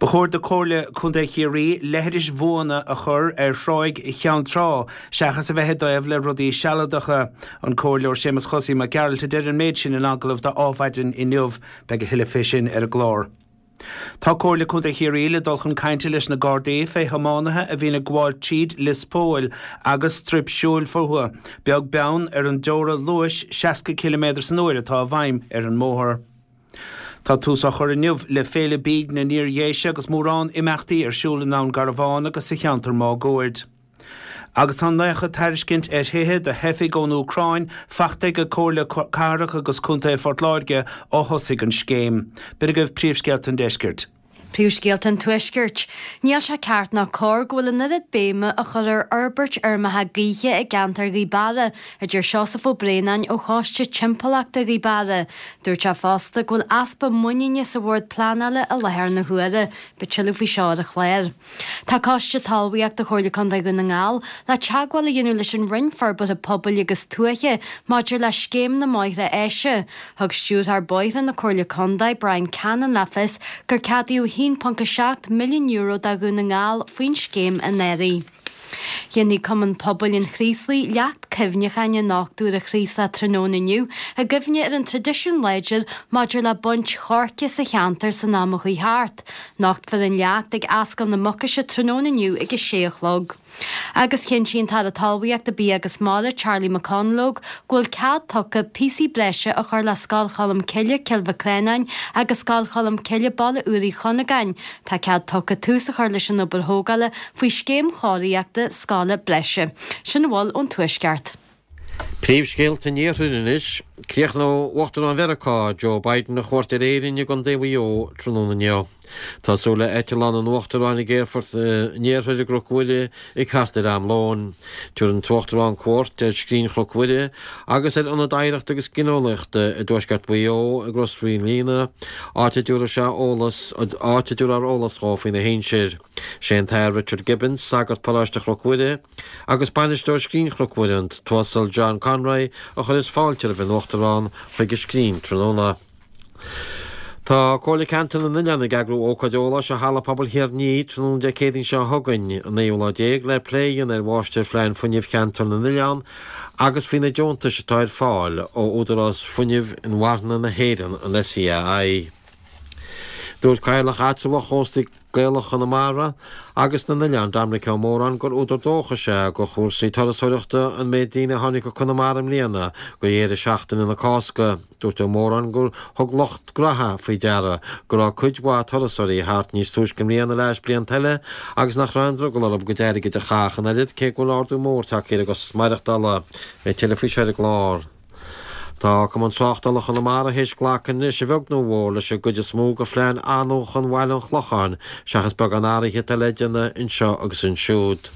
Ba chóir do Chomhairle Contae Chiarraí leithris bhuana a chur ar Thráigh Cheann Trá seachas a bheith i dtaobh le rudaí sealadacha. An Comhairleoir Séamus Chosaí Mac Gearailt a deir an méid sin in agallamh do Adhmhaidin inniu. Beidh a thuilleadh fé sin ar an gclár. Tá Comhairle Contae Chiarraí le dul chun cainte leis na Gardaí fé thiománaithe a bhíonn ag gabháil tríd Lios Póil agus straidhp siúil fúthu, beag beann ar an dteora luais seasca ciliméadar san uair atá i bhfeidhm ar an mbóthar. Tá tús á chur inniu le Féile Bídh na nIar-Dhéise agus mórán imeachtaí ar siúl i nDún Garbhán agus sa cheantar máguaird. Agus tá naocha tairiscint ar thithe do theifigh ón Úcráin faighte ag Comhairle Cathrach agus Contae Phort Láirge ó thosaigh an scéim. B'in agaibh príomhscéalta an deiscirt. Príomhscéalta an Tuaiscirt. Níl sé ceart ná cóir go bhfuil an oiread béime á chur ar fhorbairt fheirmeacha gaoithe i gceantar Ghaoth Beara, a deir Seosamh Ó Braonáin ó Choiste Timpeallachta Ghaoth Beara. Dúirt sé fosta go bhfuil easpa muiníne sa Bhord Pleanála i láthair na huaire. Beidh tuilleadh faoi seo ar an chlár. Tá Coiste Talmhaíochta Chomhairle Contae Dhún na nGall le teagmháil a dhéanamh leis an Roinn Forbartha Pobail agus Tuaithe maidir le Scéim na mBóithre Áise. Thug Stiúrthóir Bóithre na Comhairle Contae, Brian Cannon le fios gur ceadaíodh a haon ponc a seacht milliún euro do Dhún na nGall faoin scéim anuraidh. Déanfaidh Cumann Pobail an Chraoslaigh leacht cuimhneacháin a nochtadh ar an Chraoslach tráthnóna inniu i gcuimhne ar an traidisiún láidir maidir le baint choirce sa cheantar san am a chuaigh thart. Nochtfar an leacht ag Ascaill na Mucaise tráthnóna inniu ag a sé a chlog. Agus chinntigh an tAire Talmhaíochta, Bia agus Mara, Charlie McConalogue, go bhfuil cead tugtha píosaí breise a chur le Scoil Cholm Cille, Cill Mhic Reanáin agus Scoil Cholm Cille, Baile Úr Uí Chunagáin. Tá cead tugtha tús a chur leis an obair thógála faoi scéim chóiríochta scoile breise. Sin a bhfuil ón Tuaisceart. Príomhscéalta an Iarthair anois. Críochnóidh Uachtarán Mheiriceá, Joe Biden a chuairt ar Éirinn i gContae Mhaigh Eo tráthnóna inniu. Tá súil le eitleán an Uachtaráin ag Aerfort an Iarthair i gCnoc Mhuire ag thart ar am lóin. Tabharfaidh an tUachtarán cuairt ar Scrín Chnoc Mhuire agus ar Ionad Oidhreachta agus Gineolaíochta i dtuaisceart Mhaigh Eo i gCros Mhaoilíona, áit a dtabharfaidh sé eolas áit a dtabharfar eolas dhó faoina shinsir. Sé an tAthair Richard Gibbons, sagart paróiste Chnoc Mhuire, agus bainisteoir Scrín Chnoc Mhuire, an tUasal John Conroy, a chuirfeas fáilte roimh an Uachtarán chuig an scrín tráthnóna. Tá Comhairle Ceantair na nOileán ag eagrú ócáid eolais i Halla Pobail Thír an Fhia tráthnóna Dé Céadaoin seo chugainn, an naoú lá déag, le plé a dhéanamh ar Mháistirphlean Fuinnimh Cheantar na nOileán agus faoi na deontais atá ar fáil ó Údarás Fuinnimh Inmharthana na hÉireann, an SEAI. Dúirt Cathaoirleach Eatramhach Chóstaí Gaelacha Chonamara agus na nOileán, Dominic Ó Móráin, gur údar dóchais é do chúrsaí turasóireachta an méid daoine a tháinig go Conamara i mbliana do dheireadh seachtaine na Cásca. Dúirt Ó Móráin gur thug lucht gnaithe faoi deara go raibh cuid mhaith turasóirí thart níos túisce i mbliana le hais blianta eile agus nach raibh aon drogall orthu a gcuid airgid a chaitheamh an oiread cé go bhfuil ardú mór tagtha ar an gcostas maireachtála. Beidh tuilleadh faoi seo ar an gclár. Tá Cumann Tráchtála Chonamara théis glacadh anois, a bheag nó a mhór, leis an gcuid is mó de phlean athnuachan Bhaile an Chlocháin, seachas beagán athraithe atá le déanamh anseo agus ansiúd.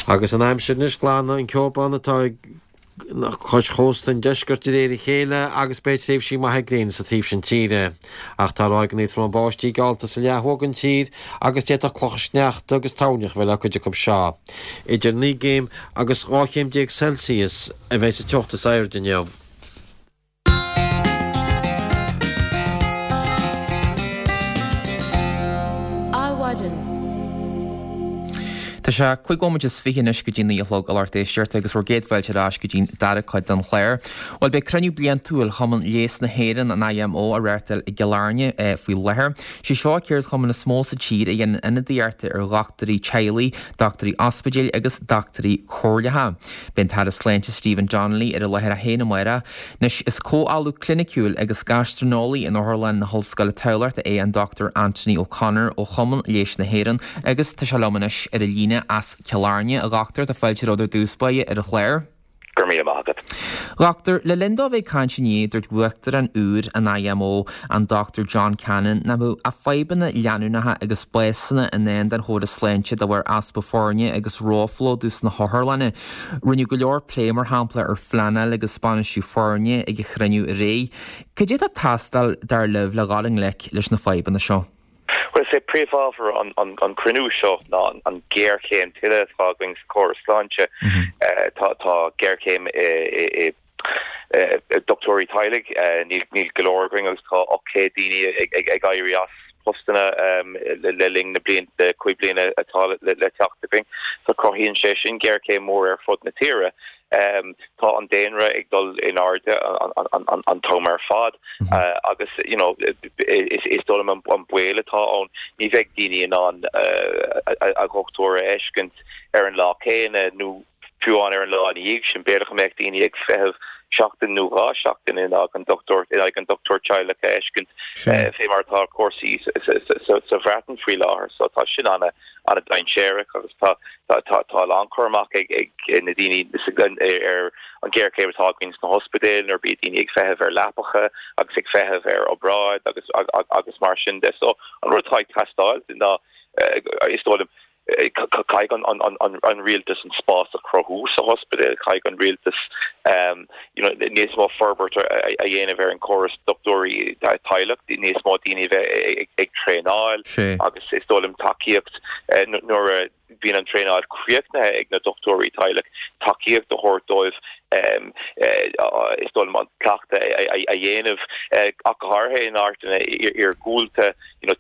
Agus an aimsir anois, glanfaidh an ceobhrán atá ag cois chósta an deiscirt de réir a chéile agus beidh tréimhsí maithe gréine sa taobh sin tíre. Ach tá ráigeanna troma báistí geallta sa leath thuaidh den tír agus d'fhéadfadh clocha sneachta agus toirneach a bheith le cuid acu seo. Idir naoi gcéim agus dhá chéim déag Celsius a bheidh sa teocht is airde inniu. Adhmhaidin. Tá sé cúig nóiméad is fiche anois go dtí naoi a chlog a lucht éisteachta agus bhur gcéad fáilte ar ais go dtí'n dara cuid den chlár. Bhuel beidh cruinniú bliantúil Chumann Leighis na hÉireann, an IMO, á reáchtáil i gCill Airne faoi láthair. Sé seo an ceardchumann is mó sa tír a dhéanann ionadaíocht ar dhochtúirí teaghlaigh, dochtúirí ospidéil agus dochtúirí comhairleacha. Beidh an tAire Sláinte Stephen Donnelly ar an láthair é féin amárach. Anois is comh-ollamh cliniciúil agus gaistreineolaí in Otharlann na hOllscoile Tamhlachta é an Dr Anthony O'Connor ó Chumann Leighis na hÉireann agus tá sé liom anois ar an líne as Cill Airne. A dhochtúir, tá fáilte romhat ar dtús báire ar an chlár. Go raibh míle maith agat. A dhochtúir, le linn dó a bheith ag caint inné, dúirt Uachtarán úr an IMO, an Dr John Cannon, nach mbeadh ach fadhbanna leanúnacha agus básanna i ndán don chóras sláinte de bharr easpa foirne agus róphlódú sna hotharlanna. Rinneadh go leor plé, mar shampla, ar phleanáil agus bainistiú foirne ag an chruinniú aréir. Cad é atá ag teastáil, dar libh, le dhul i ngleic leis na fadhbanna seo? Bhuel, is é príomhábhar an chruinniú seo ná an ghéarchéim tuilleadh atá againn sa chóras sláinte. Tá géarchéim i dochtúirí teaghlaigh, níl go leor againn agus tá ocht gcéad daoine ag éirí as postanna le linn na bliana, cúig bliana atá le teacht againn. So cruthaíonn sé sin géarchéim mhór ar fud na tíre. Tá an daonra ag dul in airde an t-am ar fad agus you know is dóigh liom an baol atá ann ní bheidh daoine in ann a dhochtúir a fheiscint ar an lá céanna nó fiú amháin ar an lá ina dhiaidh sin. B'fhéidir go mbeadh daoine ag feitheamh seachtain nó dhá sheachtain in aghaidh an dochtúir in aghaidh an dochtúir teaghlach a fheiscint fé mar atá cúrsaí sa Bhreatain faoi láthair. So tá sin ana an-dainséarach agus tá tá a lán cur amach ag ag na daoine ar an ghéarchéim atá againn sna hospidéil nuair a bhíonn daoine ag feitheamh ar leapacha agus ag feitheamh ar obráid agus agus mar sin de. So an rud atá ag teastáil ná is dóigh liom caithfidh an rialtas an spás a chruthú sa hospidéal, caithfidh an rialtas you know níos mó forbairt a dhéanamh ar an córas dochtúirí teaghlach, níos mó daoine a bheith ag traenáil agus is dóigh liom tacaíocht nuair a bhíonn an traenáil críochnaithe ag na dochtúirí teaghlach, tacaíocht a thabhairt dóibh is dóigh liom an cleachtadh a dhéanamh ach go háirithe in áiteanna iargúlta you know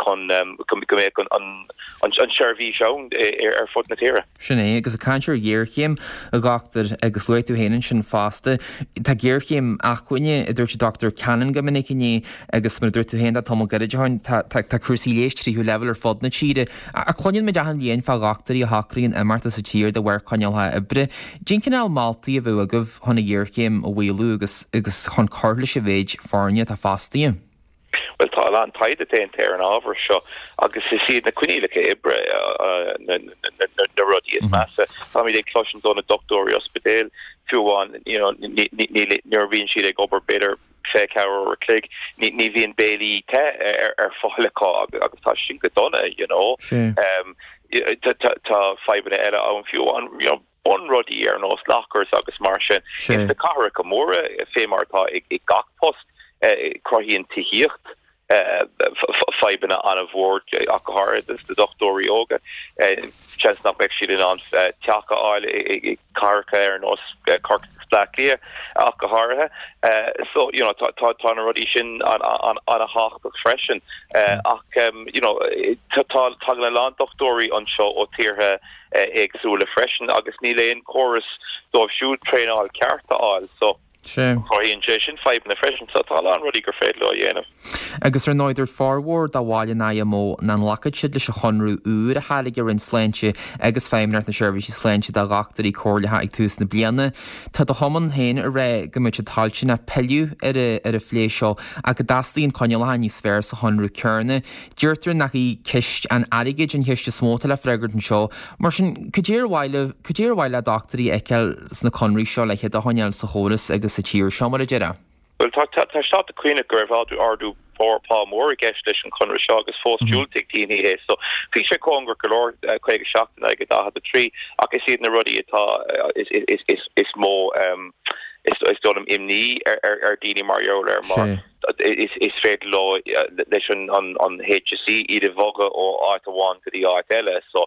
chun go mbeadh an tseirbhís ann ar fud na tíre. Sin é, agus ag caint ar ghéarchéim, a dhochtúir, agus luaigh tú féin ansin fosta, tá géarchéim acmhainne, a dúirt an Dr Cannon go minic inné, agus mar a dúirt tú féin, tá tamall gairid ó shin, tá tá cúrsaí leighis tríú leibhéal ar fud na tíre. Ach cluineann muid achan bhliain fá dhochtúirí a shocraíonn imeacht as an tír de bharr coinníollacha oibre. Cén cineál moltaí a bheadh agaibh chun an ghéarchéim a mhaolú agus agus chun cur leis an mhéid foirne atá fostaithe? Bhuel, tá a lán taighde déanta ar an ábhar seo agus is iad na coinníollacha oibre na rudaí is measa. Táimid ag cloisint ó na dochtúirí ospidéil, fiú amháin, you know, nuair a bhíonn siad ag obair b'fhéidir fiche ceathair uair a chloig, ní ní bhíonn béilí te ar ar fáil acu agus tá sin go dona, you know. Tá tá fadhbanna eile ann fiú an you know bunrudaí ar nós lockers agus mar sin. Ins na cathracha móra fé mar atá i gach post, cruthaíonn tithíocht fadhbanna an-mhór ach go háirithe dos na dochtúirí óga. Seans nach mbeidh siad in ann teach a fháil i gcathracha ar nós Corcaigh agus Bleá Cliath ach go háirithe. So you know tá tá na rudaí sin an-thábhachtach freisin. Ach you know tá tagann a lán dochtúirí anseo ó tíortha éagsúla freisin agus níl aon chóras dóibh siúd traenáil ceart a fháil. So cruthaíonn sé sin fadhbanna freisin. So tá a lán rudaí gur féidir leo a dhéanamh. Agus ar ndóigh dúirt formhór de bhaill an IMO nach nglacfaidh siad leis an chonradh úr a thairg an Roinn Sláinte agus Feidhmeannacht na Seirbhíse Sláinte do dhochtúirí comhairleacha ag tús na bliana. Tá do chumann féin ag rá go mbeidh siad toilteanach pilleadh ar ar an phlé seo ach go dteastaíonn coinníollacha níos fearr sa chonradh céanna. Deirtear nach í ceist an airgid an cheist is mó atá le freagairt anseo. Mar sin, cad é ar mhaith libh, cad é ar mhaith le dochtúirí a fheiceáil sna conraí seo le hiad a choinneáil sa chóras agus sa tír seo, mar a déarfá? Bhuel, tá tá sé cuimhneach go raibh ardú ardú pá mór i gceist leis an chonradh seo agus fós diúltaigh daoine é. So bhí sé cóngarach go leor, caoga seacht in aghaidh daichead a trí, ach is iad na rudaí atá is is is is mó is is dóigh liom imní ar ar ar daoine mar gheall air mar is is féidir leo leis an an an HSE iad a bhogadh ó áit amháin go dtí áit eile. So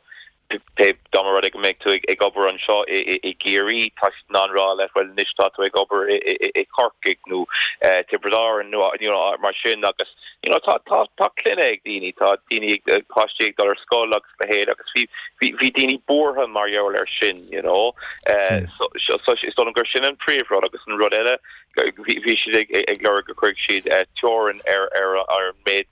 pé dá mba rud é go mbeidh tú ag obair anseo i gCiarraí, tá siad in ann rá leat, bhuel anois tá tú ag obair i Corcaigh nó Tiobraid Árann nó you know mar sin agus you know tá tá tá clainne ag daoine, tá daoine ag páistí ag dul ar scoil agus a leithéid agus bhí bhí bhí daoine buartha mar gheall air sin you know. So so is dóigh liom gur sin an príomhrud agus an rud eile bhí bhí siad ag ag lorg go gcuirfeadh siad teorainn ar ar ar an méid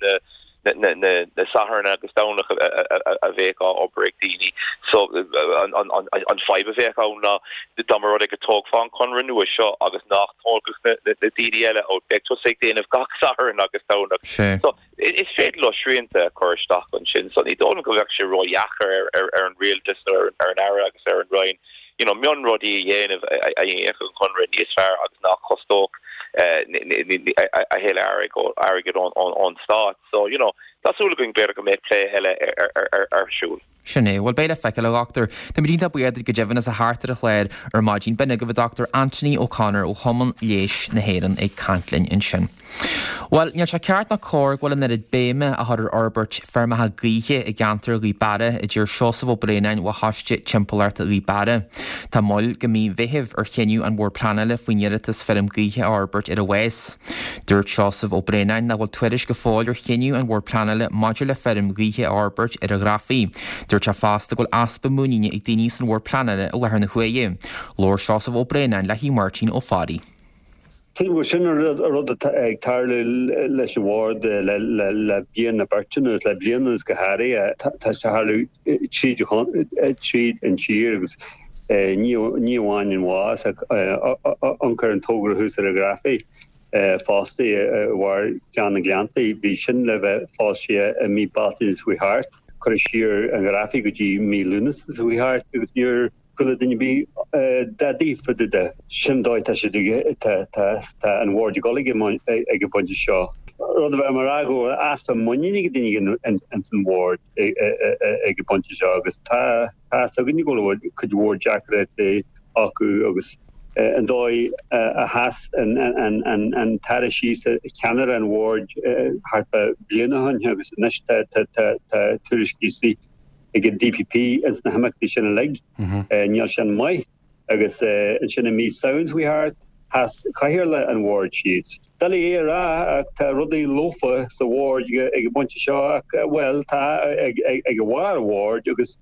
na na Sathairn agus Domhnach a bheadh á obair ag daoine. So an fadhb a bheadh ann ná dá mba rud é go dtógfá an conradh nua seo agus nach dtógfadh na daoine eile ó beidh tusa ag déanamh gach Satharn agus Domhnach. So is féidir leo srianta a chur isteach ansin. So ní dóigh liom go bheadh sé ródheacair ar an rialtas nó ar an Aire agus ar an Roinn you know mionrudaí a dhéanamh a dhéanfadh an conradh níos fearr agus nach costódh a thuilleadh airgid ón stát. So, you know, tá súil againn b'fhéidir go mbeidh plé eile ar siúl. Sin é. Bhuel, beidh le feiceáil, a Dhochtúir. Táimid iontach buíoch duit go deimhin as a theacht ar an chlár ar maidin. B'in agaibh an Dochtúir Anthony O'Connor ó Chumann Leighis na hÉireann ag caint linn ansin. Bhuel, níl sé ceart ná cóir go bhfuil an oiread béime á chur ar fhorbairt feirmeacha gaoithe i gceantar Ghaoth Beara, a deir Seosamh Ó Braonáin ó Choiste Timpeallachta Ghaoth Beara. Tá moill go mí Mheithimh ar chinneadh an Bhoird Pleanála faoin iarratas feirm gaoithe a fhorbairt ar an Mhás. Dúirt Seosamh Ó Braonáin nach bhfuil tuairisc go fóill ar chinneadh an Bhoird Pleanála maidir le feirm ghaoithe a fhorbairt ar an Ghrafaidh. Dúirt sé fosta go bhfuil easpa muiníne ag daoine san Bhord Pleanála i láthair na huaire. Labhair Seosamh Ó Braonáin le hAodh Máirtín Ó Fearraigh. Sílim gur sin an rud atá ag tarlú leis an bhord le bliain nó beirt anuas, le bliain anuas go háirithe. Tá sé ag tarlú tríd an tír agus ní amháin an Mhás ach amharc ar an togra thuas ar an Ghrafaidh fosta i bharr Ghleann na nGleanntaí. Bhí sin le bheith foilsithe i mí Bealtaine seo chuaigh thart. Cuireadh siar an Ghrafaidh go dtí mí Lúnasa seo chuaigh thart agus níor chuala duine ar bith dadaí fá dtaobh de. Sin dóigh tá siad ag, tá, tá, tá an bhord ag dul ag an, ag an bpointe seo. Rud a bheith mar rá go bhfuil easpa muiníne ag daoine ins an bhord ag an bpointe seo agus tá, tá fhios againne go bhfuil cuid mhór deacrachtaí acu agus an dóigh a sheas an, an, an, an tAire síos ceannaire an bhoird thart fá bliain ó shin agus anois tá, tá, tá, tá tuairiscí istigh ag an DPP ins na himeachtaí sin uilig. Níl sin maith. Agus ansin i mí Samhain seo chuaigh thart, sheas cathaoirleach an bhoird síos. Doiligh é a rá ach tá rudaí lofa sa bhord ag an bpointe seo ach, bhuel, tá ag ag barr an bhoird agus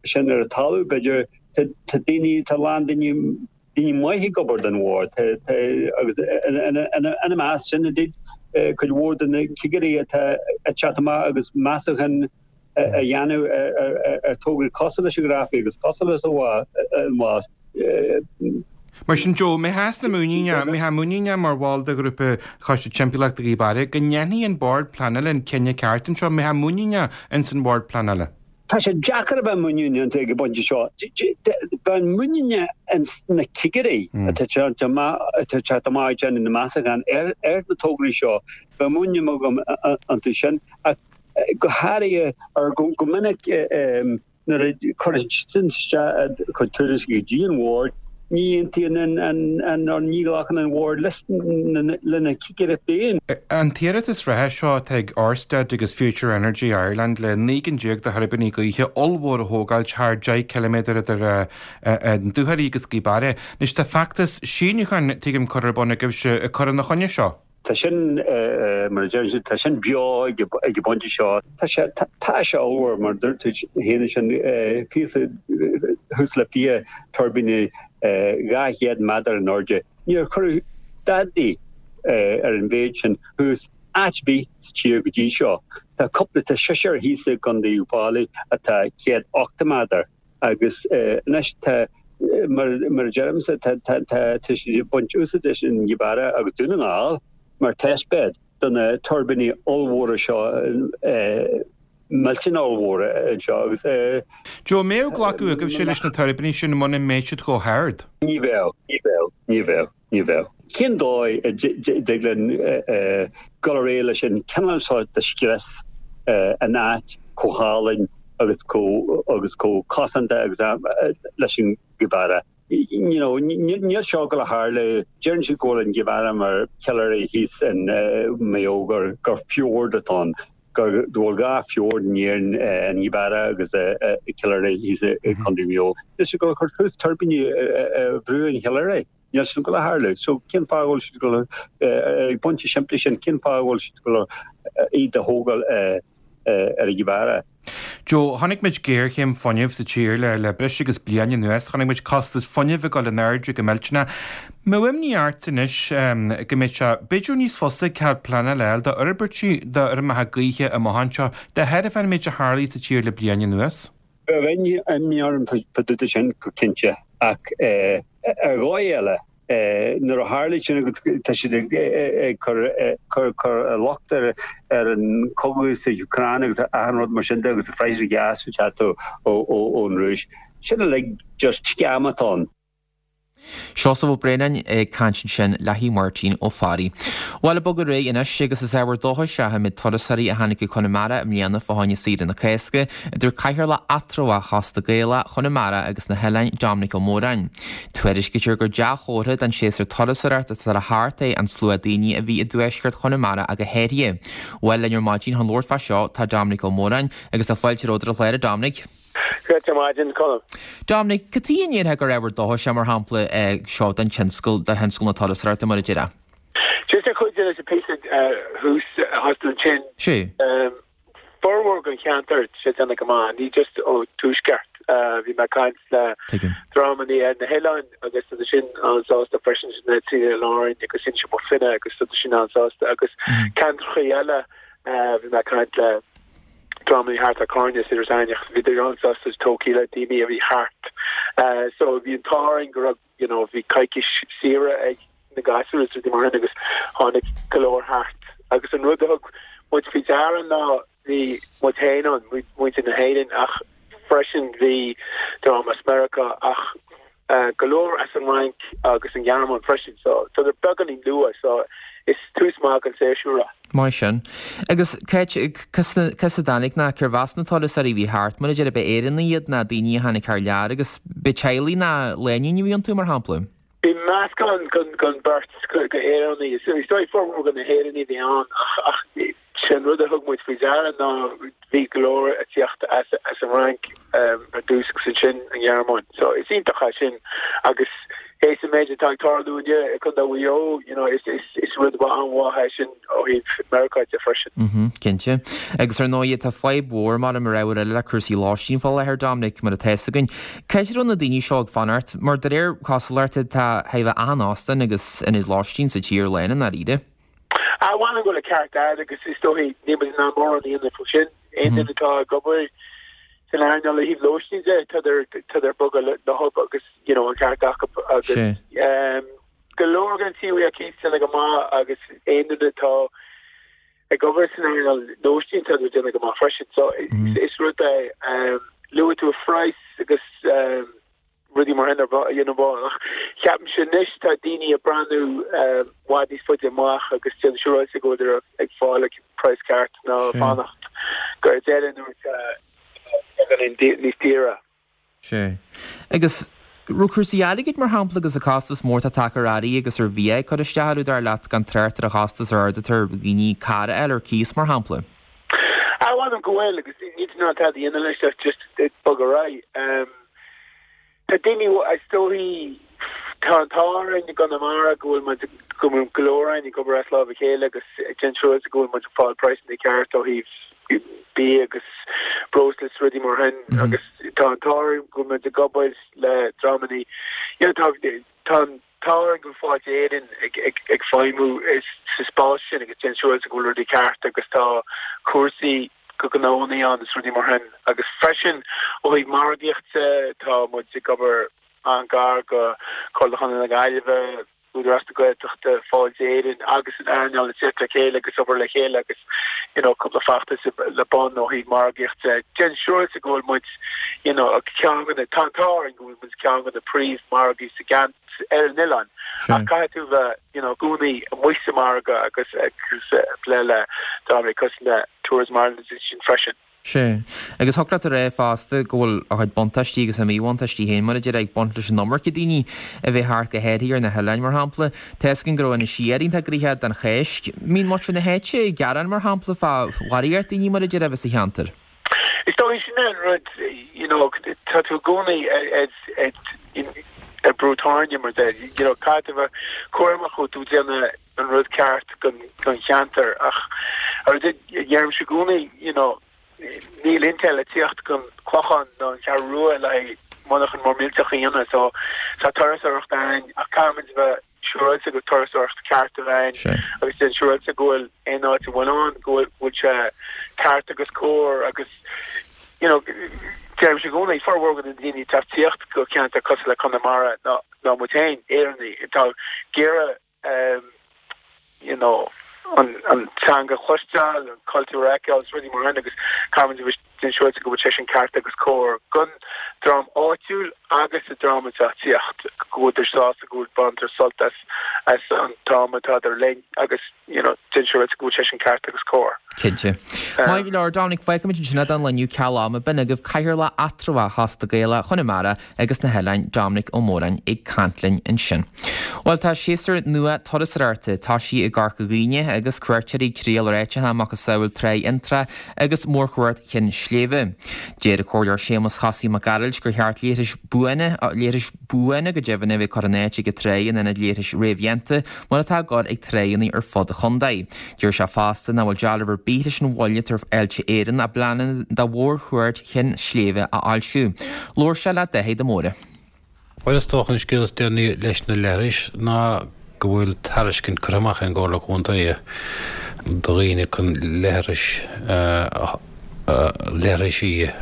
sin ar an talamh b'fhéidir. Tá daoine, tá a lán daoine, daoine maithe ag obair don bhord agus ina measc sin cuid mhór de na cigirí atá ag teacht amach agus measúchán a dhéanamh ar tograí cosúil leis an Ghrafaidh agus cosúil leis an Mhás. Mar sin, Joe, mé theas na muiníne, mé thá muiníneach mar bhall de ghrúpa Choiste Timpeallachta Ghaoth Beara go ndéanfaidh an Bord Pleanála an cinneadh ceart anseo, mé thá muiníneach ins an Bhord Pleanála. Tá sé deacair a bheith muiníneach iontu ag an bpointe seo. Bheinn muiníneach ins na cigirí atá ag teacht amach ag déanamh na meastachán ar na tograí seo, bheadh muinín agam iontu sin. Ach go háirithe, ar go minic nuair a chuireann siad isteach a gcuid tuairiscí go dtí an Bhord, ní aontaíonn an nó ní ghlacann an Bhord lena cigire féin. An t-iarratas reatha seo atá ag Ørsted agus Future Energy Ireland le naoi gcinn déag de thuirbíní gaoithe ollmhór a thógáil thar deich ciliméadar idir an Dúchoraidh agus Gaoth Beara. Anois tá feachtas síniúcháin, tuigim, curtha ar bun agaibhse ag cur ina choinne seo. Tá sin, mar a deireann siad, tá sin beo ag an bpointe seo. Tá sé, tá sé ollmhór, mar a dúirt tú féin ansin, fiche, thuas le fiche tuirbíní dhá chéad méadar in airde. Níor cuireadh dadaí ar an mhéid sin thuas áit ar bith sa tír go dtí seo. Tá cúpla, tá seisear thíos i gContae Uíbh Fhailí atá céad ochtó méadar. Agus anois tá, mar a deirimse, tá siad ag baint úsáid as an Ghaoth Beara agus Dún na nGall mar testbed do na tuirbíní ollmhóra seo, millteanach ollmhóra anseo agus. Joe, an mbeadh glacadh agaibhse leis na tuirbíní sin muna mbeadh siad chomh hard? Ní bheadh, ní bheadh, ní bheadh. Ní bheadh. Cén dóigh a dtig linn dul ar aghaidh leis an cineál seo de scrios in áit chomh hálainn agus chomh chomh cosanta agus leis an Ghaoth Beara? You know, níl seo ag dul a tharlú. Deireann siad go bhfuil an Ghaoth Beara mar Chill Airne thíos in Maigh Eo gur gur fjord atá ann, go bhfuil dhá fjord in Éirinn, an Ghaoth Beara agus Cill Airne thíos i gContae Mhaigh Eo. Níl siad ag dul a chur suas tuirbíní ar bhruach an Chill Airne. Níl sin ag dul a tharlú. So cén fáth a bhfuil siad ag dul ag an bpointe simplí sin, cén fáth a bhfuil siad ag dul iad a thógáil ar an Ghaoth Beara? Joe, chonaic muid géarchéim fuinnimh sa tír le le breis agus bliain anuas. Chonaic muid costas fuinnimh ag dul in airde go millteanach. An mbeadh imní ort anois go mbeidh sé b'fhéidir níos fusa cead pleanála a fháil d'fhorbairtí d'fheirmeacha gaoithe amach anseo de thairbhe an méid a tharlaigh sa tír le bliain anuas? Bheadh imní orm fá dtaobh de sin go cinnte ach ar dhóigh eile nuair a tharlaigh sin agus tá siad ag cur cur locht ar ar an chogadh sa Úcráin agus achan rud mar sin de agus an praghas gas ag teacht ón Rúis, sin uilig just scam atá ann. Seosamh Ó Braonáin ag caint ansin le hAodh Máirtín Ó Fearraigh. Bhuel, ag bogadh ar aghaidh anois agus is ábhar dóchais é an méid turasóirí a tháinig go Conamara i mbliana fá choinne saoire na Cásca, a dúirt Cathaoirleach eatramhach Chósta Gaelach Chonamara agus na hOileáin Dominic Ó Móráin. Tuairiscítear gur dea-chomhartha don séasúr turasóireachta atá le theacht é an slua daoine a bhí i dtuaisceart Chonamara ach go háirithe. Bhuel, linn ar maidin chun labhairt fá seo tá Dominic Ó Móráin agus tá fáilte romhat ar an chlár, a Dominic. Greta maidin, Colm. Dominic, cad chuige a ndéarfá gur ábhar dóchais é mar shampla seo don tionscal, do thionscal na turasóireachta mar a déarfá? Just ar chuid de leis an píosa thuas thuas ansin. Sea. Formhór den cheantar tá sé ag déanamh go maith, ní just ó tuaisceart. Bhí mé ag caint le Tuigim. dreamanna ar na hoileáin agus tá sin an-sásta freisin, na trí oileán Árainn agus Inse Bó Finne agus tá sin an-sásta agus ceantracha eile bhí mé ag caint le dreamanna thart ar Carna is Iorras Aithneach, bhíodar an-sásta tógtha le daoine a bhí thart. So bhí an t-ádh orainn go raibh, you know, bhí coicís saoire ag na gasúir is rudaí mar sin agus tháinig go leor thart. Agus an rud a thug muid faoi deara ná bhí muid féin ann, muintir na hÉireann ach freisin bhí dream as Meiriceá ach go leor as an Fhrainc agus an Ghearmáin freisin so tá siad beagáinín luath so is tús maith don séasúr é. Maith sin. Agus cá as a dtáinig ná cérbh as na turasóirí a bhí thart, mar a déarfá, ab Éireannaigh iad ná daoine a tháinig thar lear agus ab teaghlaigh ná lánúin a bhí iontu mar shampla? Bhí meascán den bheirt d'Éireannaigh. Is dóigh formhór de na hÉireannaigh a bhí ann ach sé an rud a thug muid faoi deara ná bhí go leor ag tíocht as an Fhrainc ar dtús agus ansin an Ghearmáin. So is iontach é sin agus théis an méid atá ag tarlú inniu i gContae Mhaigh Eo, you know, is is rud an-mhaith é sin ó thaobh Meiriceá de freisin. Mhm, cinnte. Agus ar ndóigh tá fadhb mhór mar mar ábhar eile le cúrsaí lóistín fá láthair, Dominic, mar atá fhios againn. Cá háit a raibh na daoine seo ag fanacht? Mar de réir cosúlachta tá chóir a bheith achan óstán agus ionad lóistín sa tír lán i ndáiríre. Ah, m'anam go bhfuil an ceart agat agus is dóigh níl muid in ann mórán a dhéanamh faoi sin. Aon duine atá ag obair san earnáil ó thaobh lóistín de, tádar ag bogadh leo agus you know an ceart acu agus go leor den tithe ar cíos ag déanamh go maith agus aon duine atá ag obair san earnáil lóistín tá ag déanamh go maith freisin so is rud é luaigh tú phraghas agus rudaí mar sin ar you know ach ceapaimse anois tá daoine ag breathnú i bhfad níos faide amach agus déanamh siúráilte go bhfuil ag fáil praghas ceart ná fanacht go deireadh nuair atá níos daoire. Sea. Agus raibh cúrsaí airgid, mar shampla, agus an costas mór atá tagtha ar earraí agus ar bhia ag cur isteach orthu, dar leat, gan trácht ar an chostas ard atá ar dhaoine carr a fháil ar cíos, mar shampla? Ah, mh'anam go bhfuil, agus níl tú in ann tada a dhéanamh leis ach just bogadh ar aghaidh. Tá daoine, is dóichí, tá an t-ádh orainn i gConamara go bhfuil muid, go bhfuil go leor againn ag obair as lámh a chéile agus ag déanamh siúráilte go bhfuil muid ag fáil praghsanna ceart ó thaobh bia agus breosla is rudaí mar sin agus tá an t-ádh orainn go bhfuil muid ag obair le dreamanna you know tá tá an t-ádh orainn go bhfuil Fáilte Éireann ag ag ag feidhmiú sa spás sin agus déanamh siúráilte go bhfuil rudaí ceart agus tá cúrsaí do ghnónna ann is rudaí mar sin agus freisin ó thaobh margaíochta tá muid ag obair an-ghar go Comhairle Chontae na Gaillimhe, Údarás na Gaeltachta, Fáilte Éireann agus an earnáil ag teacht le chéile agus obair le chéile agus you know cúpla feachtas le bun ó thaobh margaíochta. Déanamh siúráilte go bhfuil muid you know ceann de na, tá an t-ádh orainn go bhfuil muid ceann de na príomh-mhargaí sa gceant ar an oileán ach caithfidh tú bheith you know i gcónaí amuigh sa margadh agus agus ag plé le dreamanna cosúil le Tourism Ireland is sin freisin. Sea. Agus thiocfadh leat a rá fosta go bhfuil a chuid buntáistí agus a míbhuntáistí féin, mar a déarfá, ag baint leis an iomarca daoine a bheith thart, go háirithe ar na hoileáin, mar shampla. Tá fhios againn go raibh Inis Oírr iontach gnoitheach don Cháisc. Mbíonn muintir na háite ag gearán, mar shampla, fá bharraíocht daoine, mar a déarfá, a bheith sa cheantar. Is dóigh sin é an rud, you know, tá tú i gcónaí ar brú tairne, mar a deir, you know, caithfidh tú a bheith cúramach go bhfuil tú ag déanamh an rud ceart don cheantar ach ar deirimse i gcónaí, you know, níl Intel ag tíocht gon Clochán nó an Cheathrú Rua le haghaidh monarchan mór millteach a dhéanamh so tá turasóireacht ann ach caithfimid a bheith siúráilte go turasóireacht ceart a bheith ann agus déanamh siúráilte go bhfuil aon áit a bhfuil ann go bhfuil sé ceart agus cóir agus you know deirimse i gcónaí formhór de na daoine atá ag tíocht go ceantar cosúil le Conamara ná ná muid féin, Éireannaigh, atá ag iarraidh you know, an, an teanga a chloisteáil, an cultúr a fheiceáil is rudaí mar sin agus caithfimid a bheith déanamh siúráilte go bhfuil sé sin ceart agus cóir gon dream áitiúil agus an dream atá ag tíocht, go bhfuil sásta go bhfuil baintear sult as, as an t-am atádar linn agus you know, déanamh siúráilte go bhfuil sé sin ceart agus cóir. Cinnte. Maith go leor, Dominic, fágfaimid ansin é don lá inniu ceal ama. B'in agaibh Cathaoirleach Eatramhach Choiste Gaelach Chonamara agus na hOileáin, Dominic Ó Móráin ag caint linn ansin. Bhuel, tá séasúr nua turasóireachta tosaithe i gCorca Dhuibhne agus cuairteoirí ag triall ar áiteacha macasamhail Trá Fhionntrá agus Mórchuaird Chinn Sléibhe. Deir an Comhairleoir Séamus Chosaí Mac Gearailt gur cheart leithris buana, leithris buana go deimhin, a bheith curtha in áit ag an tráigh in ionad leithris réamhdhéanta mar atá ag gabháil ag tráigheanna ar fud an chontae. Deir sé fosta nach bhfuil dealramh ar bith leis an mhoill atá ar Fháilte Éireann a bpleananna do Mhórchuaird Chinn Sléibhe a fhoilsiú. Labhair sé le Dáithí de Mórdha. Bhuel is dócha an scéal is deireanaí leis na leithris ná go bhfuil tairiscint curtha amach ag an gComhairle Contae do dhaoine chun leithris leithrisí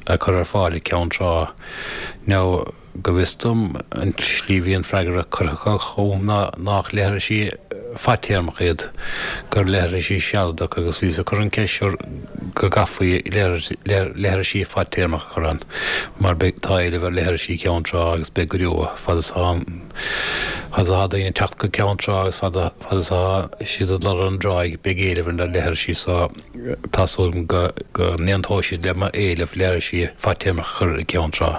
a chur ar fáil i gCeann Trá. Now go bhfios dom an tslí a bhí an freagra curtha acu chugam ná nach leithrisí fadtéarmach iad, gur leithrisí sealadach agus bhíos ag cur an ceist seo go gcaithfí leithrisí fadtéarmach a chur ann mar beidh, tá éileamh ar leithrisí i gCeann Trá agus beidh go deo, fad is atá, fad is atá daoine ag teacht go Ceann Trá agus fad, fad is atá siad ag dul ar an dtráigh beidh éileamh ar na leithrisí so tá súil agam go, go n-aontóidh siad le m'éileamh leithrisí fadtéarmach a chur i gCeann Trá.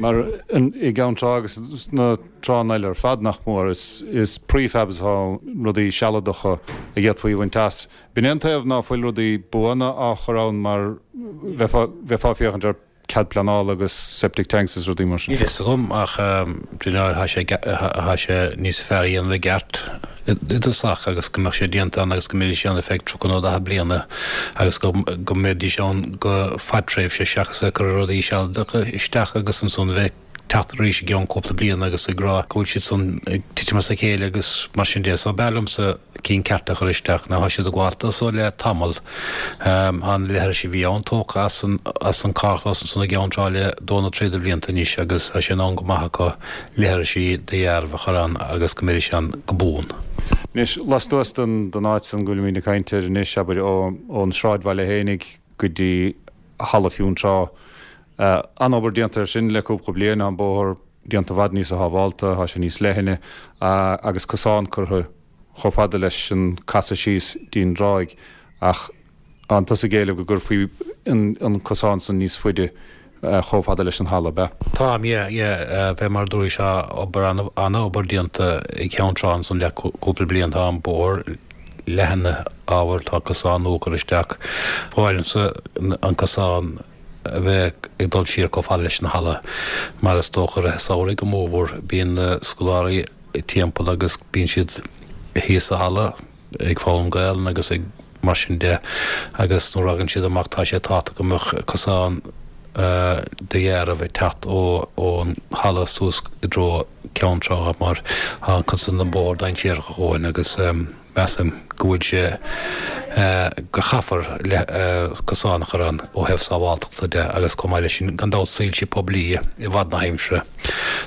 Mar i gCeann Trá agus sna tránna eile ar fad, nach mór, is prefabs atá ann, rudaí sealadacha a d'fhéadfaí a bhaint as. B'in é an taobh ná fuil rudaí buana á chur ann mar bheifeá ag féachaint ar cead pleanála agus septic tanks is rudaí mar sin. Níl fhios agam ach de réir tá sé tá sé níos fearr a dhéanamh i gceart i dtosach agus go mbeadh sé déanta ann agus go mbeidís ann ar feadh tríocha nó daichead bliana agus go go mbeidís ann go fadtréimhse seachas bheith ag cur rudaí sealadacha isteach agus ansan bheith teacht arís i gceann cúpla bliain agus ag rá go bhfuil siad san ag titim as a chéile agus mar sin de. So b'fhearr liomsa cinn cearta a chur isteach. Now tá siad ag gabháil dó so le tamall. Tá na leithris a bhí ann tógtha as an as an carrchlós ansan i gCeann Trá le dó nó trí de bhlianta anois agus tá sé in am go maith acu leithrisí de dhearbh a chur ann agus go mbeidís ann go buan. Anois, lastuas den áit san go bhfuilimid ag caint air anois, abair, ón sráidbhaile fhéinig go dtí Halla Fionntrá, an-obair déanta air sin le cúpla bliain, tá an bóthar déanta i bhfad níosa shábhálta, tá sé níos leithne agus cosán curtha chomh fada leis an casadh síos dtí'n dtráigh ach tánn tusa ag éileamh go gcuirfí an cosán san níos faide chomh fada leis an halla, ab ea? Táim, yeah, yeah. Fé mar a dúraís, tá obair, an-obair déanta i gCeann Trá ansan le cúpla bliain. Tá an bóthar leathnaithe ábhar, tá cosán nua curtha isteach. Ba mhaith liomsa an cosán a bheith ag dul siar chomh fada leis an halla mar is dócha i rith an samhraidh go mórmhór bíonn na scoláirí timpeall agus bíonn siad thíos sa halla ag foghlaim Gaelainn agus ag mar sin de agus nuair a thagann siad amach tá sé tábhachtach go mbeadh cosán de dheáramh ag teacht ón halla suas i dtreo Ceann Trá mar tá an chuid san den bhóthar dainséarach a dhóthain agus measaim go bhfuil sé go chaithfear cosán a chur ann ó thaobh sábháltachta de agus chomh maith leis sin gan dabht soilse poiblí i bhfad na haimsire.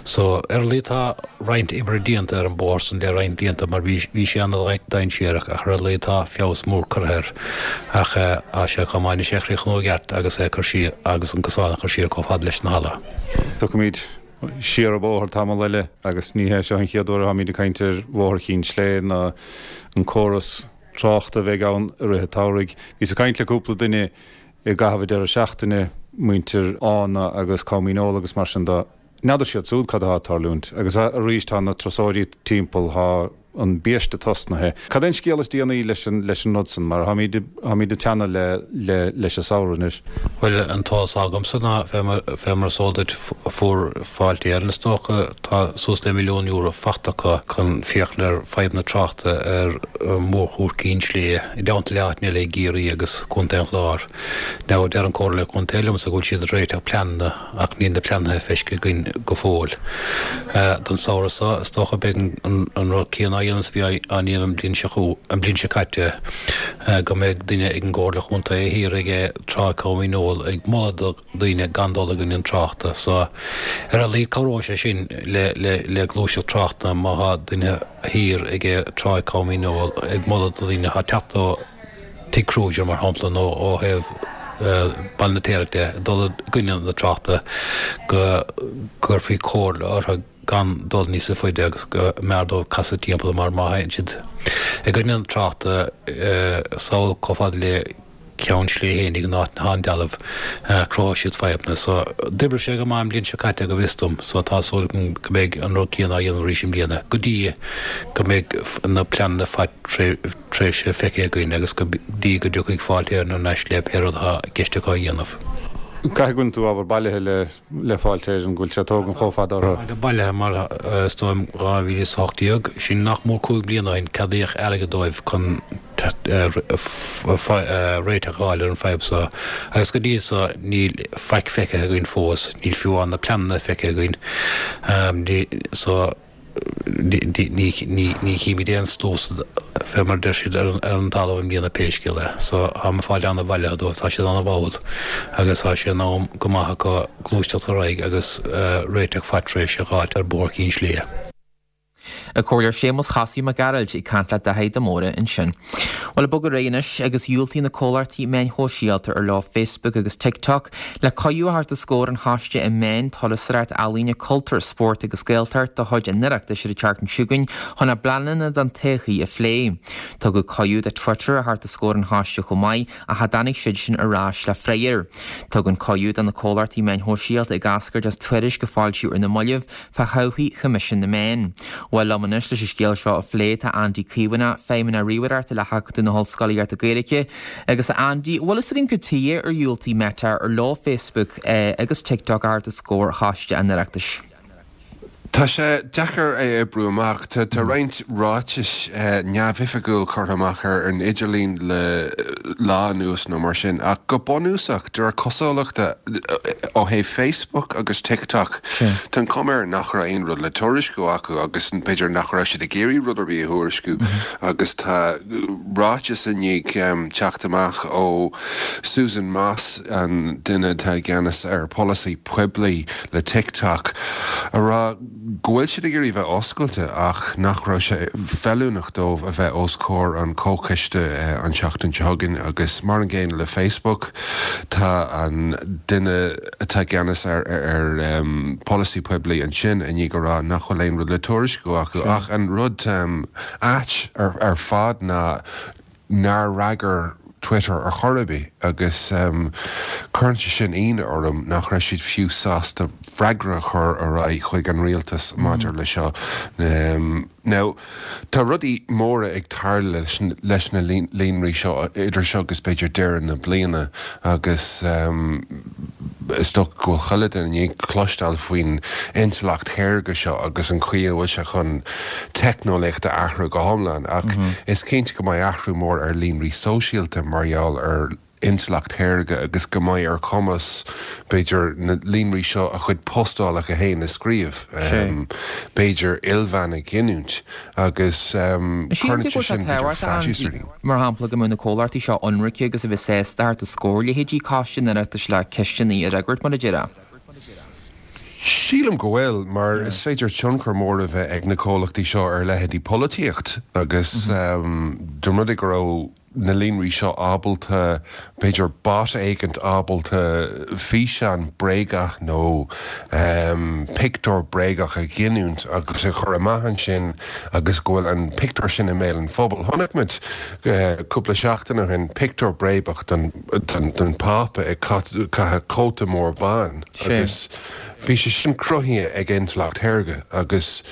So ar a laghad tá roinnt oibre déanta ar an bóthar san le roinnt blianta mar bhí bhí sé ana-dhainséarach ach ar a laghad tá feabhas mór curtha air ach tá sé chomh maith anois é a chríochnú i gceart agus é a chur siar agus an cosán a chur siar chomh fada leis an halla. Tiocfaimid siar an bóthar tamall eile agus ní hé seo an chéad uair atáimid ag caint ar Bhóthar Chinn Sléibhe ná an córas tráchta a bheidh ann i rith an tsamhraidh. Bhíos ag caint le cúpla duine i gcaitheamh an deireadh seachtaine, muintir Fhána agus Coimín Eola agus mar sin de. N'fheadar siad siúd cad atá ag tarlúint agus arís tá na turasóirí timpeall, tá an biaiste tosnaithe. Cad é an scéal is déanaí leis an leis an rud san, mar tháimid tháimid ag teannadh le le leis an samhradh anois. Bhuel, an t-eolas atá agamsa ná, fé mar fé mar is eol duit, fuair Fáilte Éireann, is dócha, tá suas le milliún euro faighte acu chun féachaint ar fadhb na tráchta ar mhórchuaird Cinn Sléibhe, i dteannta le áiteanna eile i gCiarraí agus Contae an Chláir. Now, deir an Comhairle Contae liomsa go bhfuil siad ag réiteach pleananna ach níl na pleananna feicthe againn go fóill. Don samhradh seo, is dócha, beidh an rud céanna á dhéanamh is a bhí á ndéanamh an bhliain seo an bhliain seo caite, go mbeidh duine ag an gComhairle Chontae thiar ag Trá Choimín Eola ag moladh do dhaoine gan dul i gcoinne an tráchta. So, ar a laghad cabhróidh sé sin le le gluaiseacht tráchta má thá duine thiar ag Trá Choimín Eola ag moladh do dhaoine atá ag teacht ó Tigh Crozier, mar shampla, nó ó thaobh Baile na Teamhrach de, ag dul i gcoinne na tráchta, go gcuirfí comhairle orthu gan dul níosa faide agus go mb'fhearr dóibh casadh timpeall mar má théann siad i gcoinne an tráchta sall chomh fada le Ceann Sléibhe fhéinig an áit atá an dealbh, cruthóidh siad fadhbanna. So, d'oibrigh sé go maith an bhliain seo caite go bhfios dom, so tá súil agam go mbeidh an rud céanna á dhéanamh arís i mbliana, go dtí go mbeidh na pleananna fadtréimhse feicthe againn agus go dtí go dtiocfaidh Fáilte Éireann thar n-ais le pé rud atá i gceist acu a dhéanamh. Caithfidh go bhfuil tú ábhar bailithe le le Fáilte Éireann, go bhfuil sé ag tógaint chomh fada orthu. Tá bailithe mar is dóigh liom dhá mhíle is a hocht déag, sin nach mór cúig bliana ó shin, ceadaíodh airgead dóibh chun réiteach a fháil ar an bhfadhb seo agus go dtí so níl faic feicthe againn fós, níl fiú amháin na pleananna feicthe againn so ní chímid aon sluas fé mar a deir siad ar an talamh i mbliana pé scéal é. So táim ag fáil ana-bhailithe dóibh, tá siad ana-mhall agus tá sé in am go maith acu gluaisteacht ar aghaidh agus réiteach fadtréimhse a dh'fháilt ar Bhóthar Chinn Sléibhe. An Comhairleoir Séamus Chosaí Mac Gearailt ag caint le Daithí de Mórdha ansin. Bhuel, ag bogadh ar aghaidh anois agus dhiúltaigh na comhlachtaí meáin shóisialta ar leo Facebook agus TikTok le cuireadh a thabhairt os comhair an Choiste um Meáin, Turasóireacht, Ealaíona, Cultúr, Spórt agus Gaeltacht de chuid an Oireachtais ar an tseachtain seo chugainn chun a bpleananna don todhchaí a phlé. Tugadh cuireadh do Twitter a theacht os comhair an choiste chomh maith ach cha dtáinig siadsan ar ais le freagra. Tugadh an cuireadh do na comhlachtaí meáin shóisialta ag eascairt as tuairisc a foilsíodh ar na mallaibh fá thodhchaí Choimisiún na Meán. Bhuel, liom anois leis an scéal seo a phlé tá Andy Caomhánach, Feidhmeannach Ríomhaireachta le hAcadamh na hOllscolaíochta Gaeilge. Agus a Andy, bhfuil fhios againn cad tuighe ar dhiúltaigh Meta ar leo Facebook agus TikTok a thabhairt os comhair Choiste an Oireachtais? Tá sé deacair é a oibriú amach. Tá roinnt ráitis neamhoifigiúil curtha amach ar an idirlíon le lá anuas nó mar sin, ach go bunúsach, de réir cosúlachta, ó thaobh Facebook agus TikTok, tá an chuma air nach raibh aon rud le tuairisciú acu agus b'fhéidir nach raibh siad ag iarraidh rud ar bith a thuairisciú agus tá ráiteas i ndiaidh teacht amach ó Susan Moss, an duine atá i gceannas ar pholasaí poiblí le TikTok, a rá go bhfuil siad ag iarraidh bheith oscailte ach nach raibh sé feiliúnach dóibh a bheith os comhair an chomhchoiste an tseachtain seo chugainn agus mar an gcéanna le Facebook tá an duine atá i gceannas ar ar polasaí poiblí ansin i ndiaidh a rá nach bhfuil aon rud le tuairisciú acu ach an rud ait ar fad ná nár fhreagair Twitter ar chor ar bith agus cuireann sé sin ionadh orm nach raibh siad fiú sásta freagra a chur ar aghaidh chuig an rialtas maidir le seo. Now, tá rudaí móra ag tarlú leis na líonraí seo idir seo agus b'fhéidir deireadh na bliana agus is dócha go bhfuil chuile duine i ndiaidh cloisteáil faoin intleacht shaorga seo agus an chaoi a bhfuil sé chun teicneolaíocht a athrú go hiomlán ach is cinnte go mbeidh athrú mór ar líonraí sóisialta mar gheall ar intleacht shaorga agus go mbeidh ar chumas b'fhéidir na líonraí seo a chuid postálacha féin a scríobh, b'fhéidir íomhánna a ghiniúint agus cuireann sé sin b'fhéidir faitíos ar dhaoine. Mar shampla, go mbeadh na comhlachtaí seo ionraice agus a bheith sásta theacht os comhair leithéidí Coiste an Oireachtais le ceisteanna a fhreagairt, mar a déarfá. Sílim go bhfuil, mar is féidir tionchar mór a bheith ag na comhlachtaí seo ar leithéidí polaitíocht agus dá mba rud é go raibh na líonraí seo ábalta, b'fhéidir bot éigint ábalta físeán bréagach nó pictiúr bréagach a ghiniúint agus a chur amach ansin agus go bhfuil an pictiúr sin i mbéal an phobail. Chonaic muid cúpla seachtain ó shin pictiúr bréagach den den Phápa ag caitheamh cóta mór bán agus bhí sé sin cruthaithe ag intleacht shaorga agus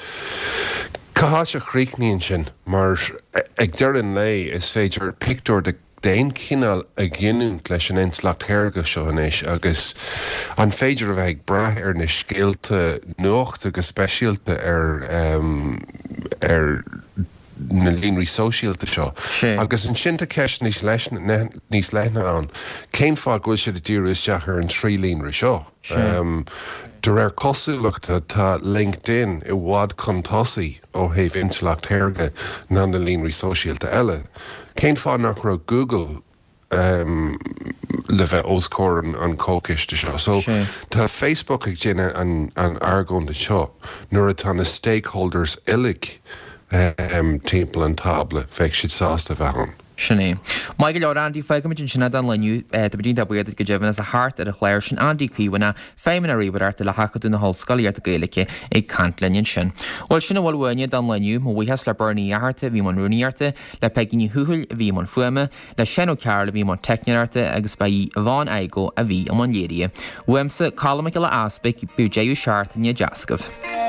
Cá háit a chríochnaíonn sin? Mar ag deireadh an lae is féidir pictiúr de d'aon chineál a ghiniúint leis an intleacht shaorga seo anois agus an féidir a bheith ag brath ar na scéalta nuachta go speisialta ar ar na líonraí sóisialta seo? Agus ansin tá ceist níos níos leithne ann, cén fáth go bhfuil siad ag díriú isteach ar an trí líonra seo? De réir cosúlachta, tá LinkedIn i bhfad chun tosaigh ó thaobh intleacht shaorga ná na líonraí sóisialta eile. Cén fáth nach raibh Google le bheith os comhair an chomhchoiste seo? So, tá Facebook ag déanamh an argóint seo nuair atá na stakeholders uilig timpeall an tábla, bheadh siad sásta a bheith ann. Sin é. Maith go leor, Andy, fágfaimid ansin é don lá inniu. Tá muid iontach buíoch duit go deimhin as a theacht ar an chlár sin. Andy Caomhánach, Feidhmeannach Ríomhaireachta le hAcadamh na hOllscolaíochta Gaeilge ag caint linn ansin. Bhuel, sin a bhfuil uainne don lá inniu. Mo bhuíochas le Bernie Uí Fhatharta a bhí i mbun rúnaíochta, le Peigí Ní Thuathail a bhí i mbun fuaime, le Seán Ó Cearúil a bhí i mbun teicneoireachta agus ba í Yvonne Igoe a bhí i mbun léirithe. Uaimse, Colm Mac Giolla Easpaig, bíodh deireadh seachtaine deas agaibh.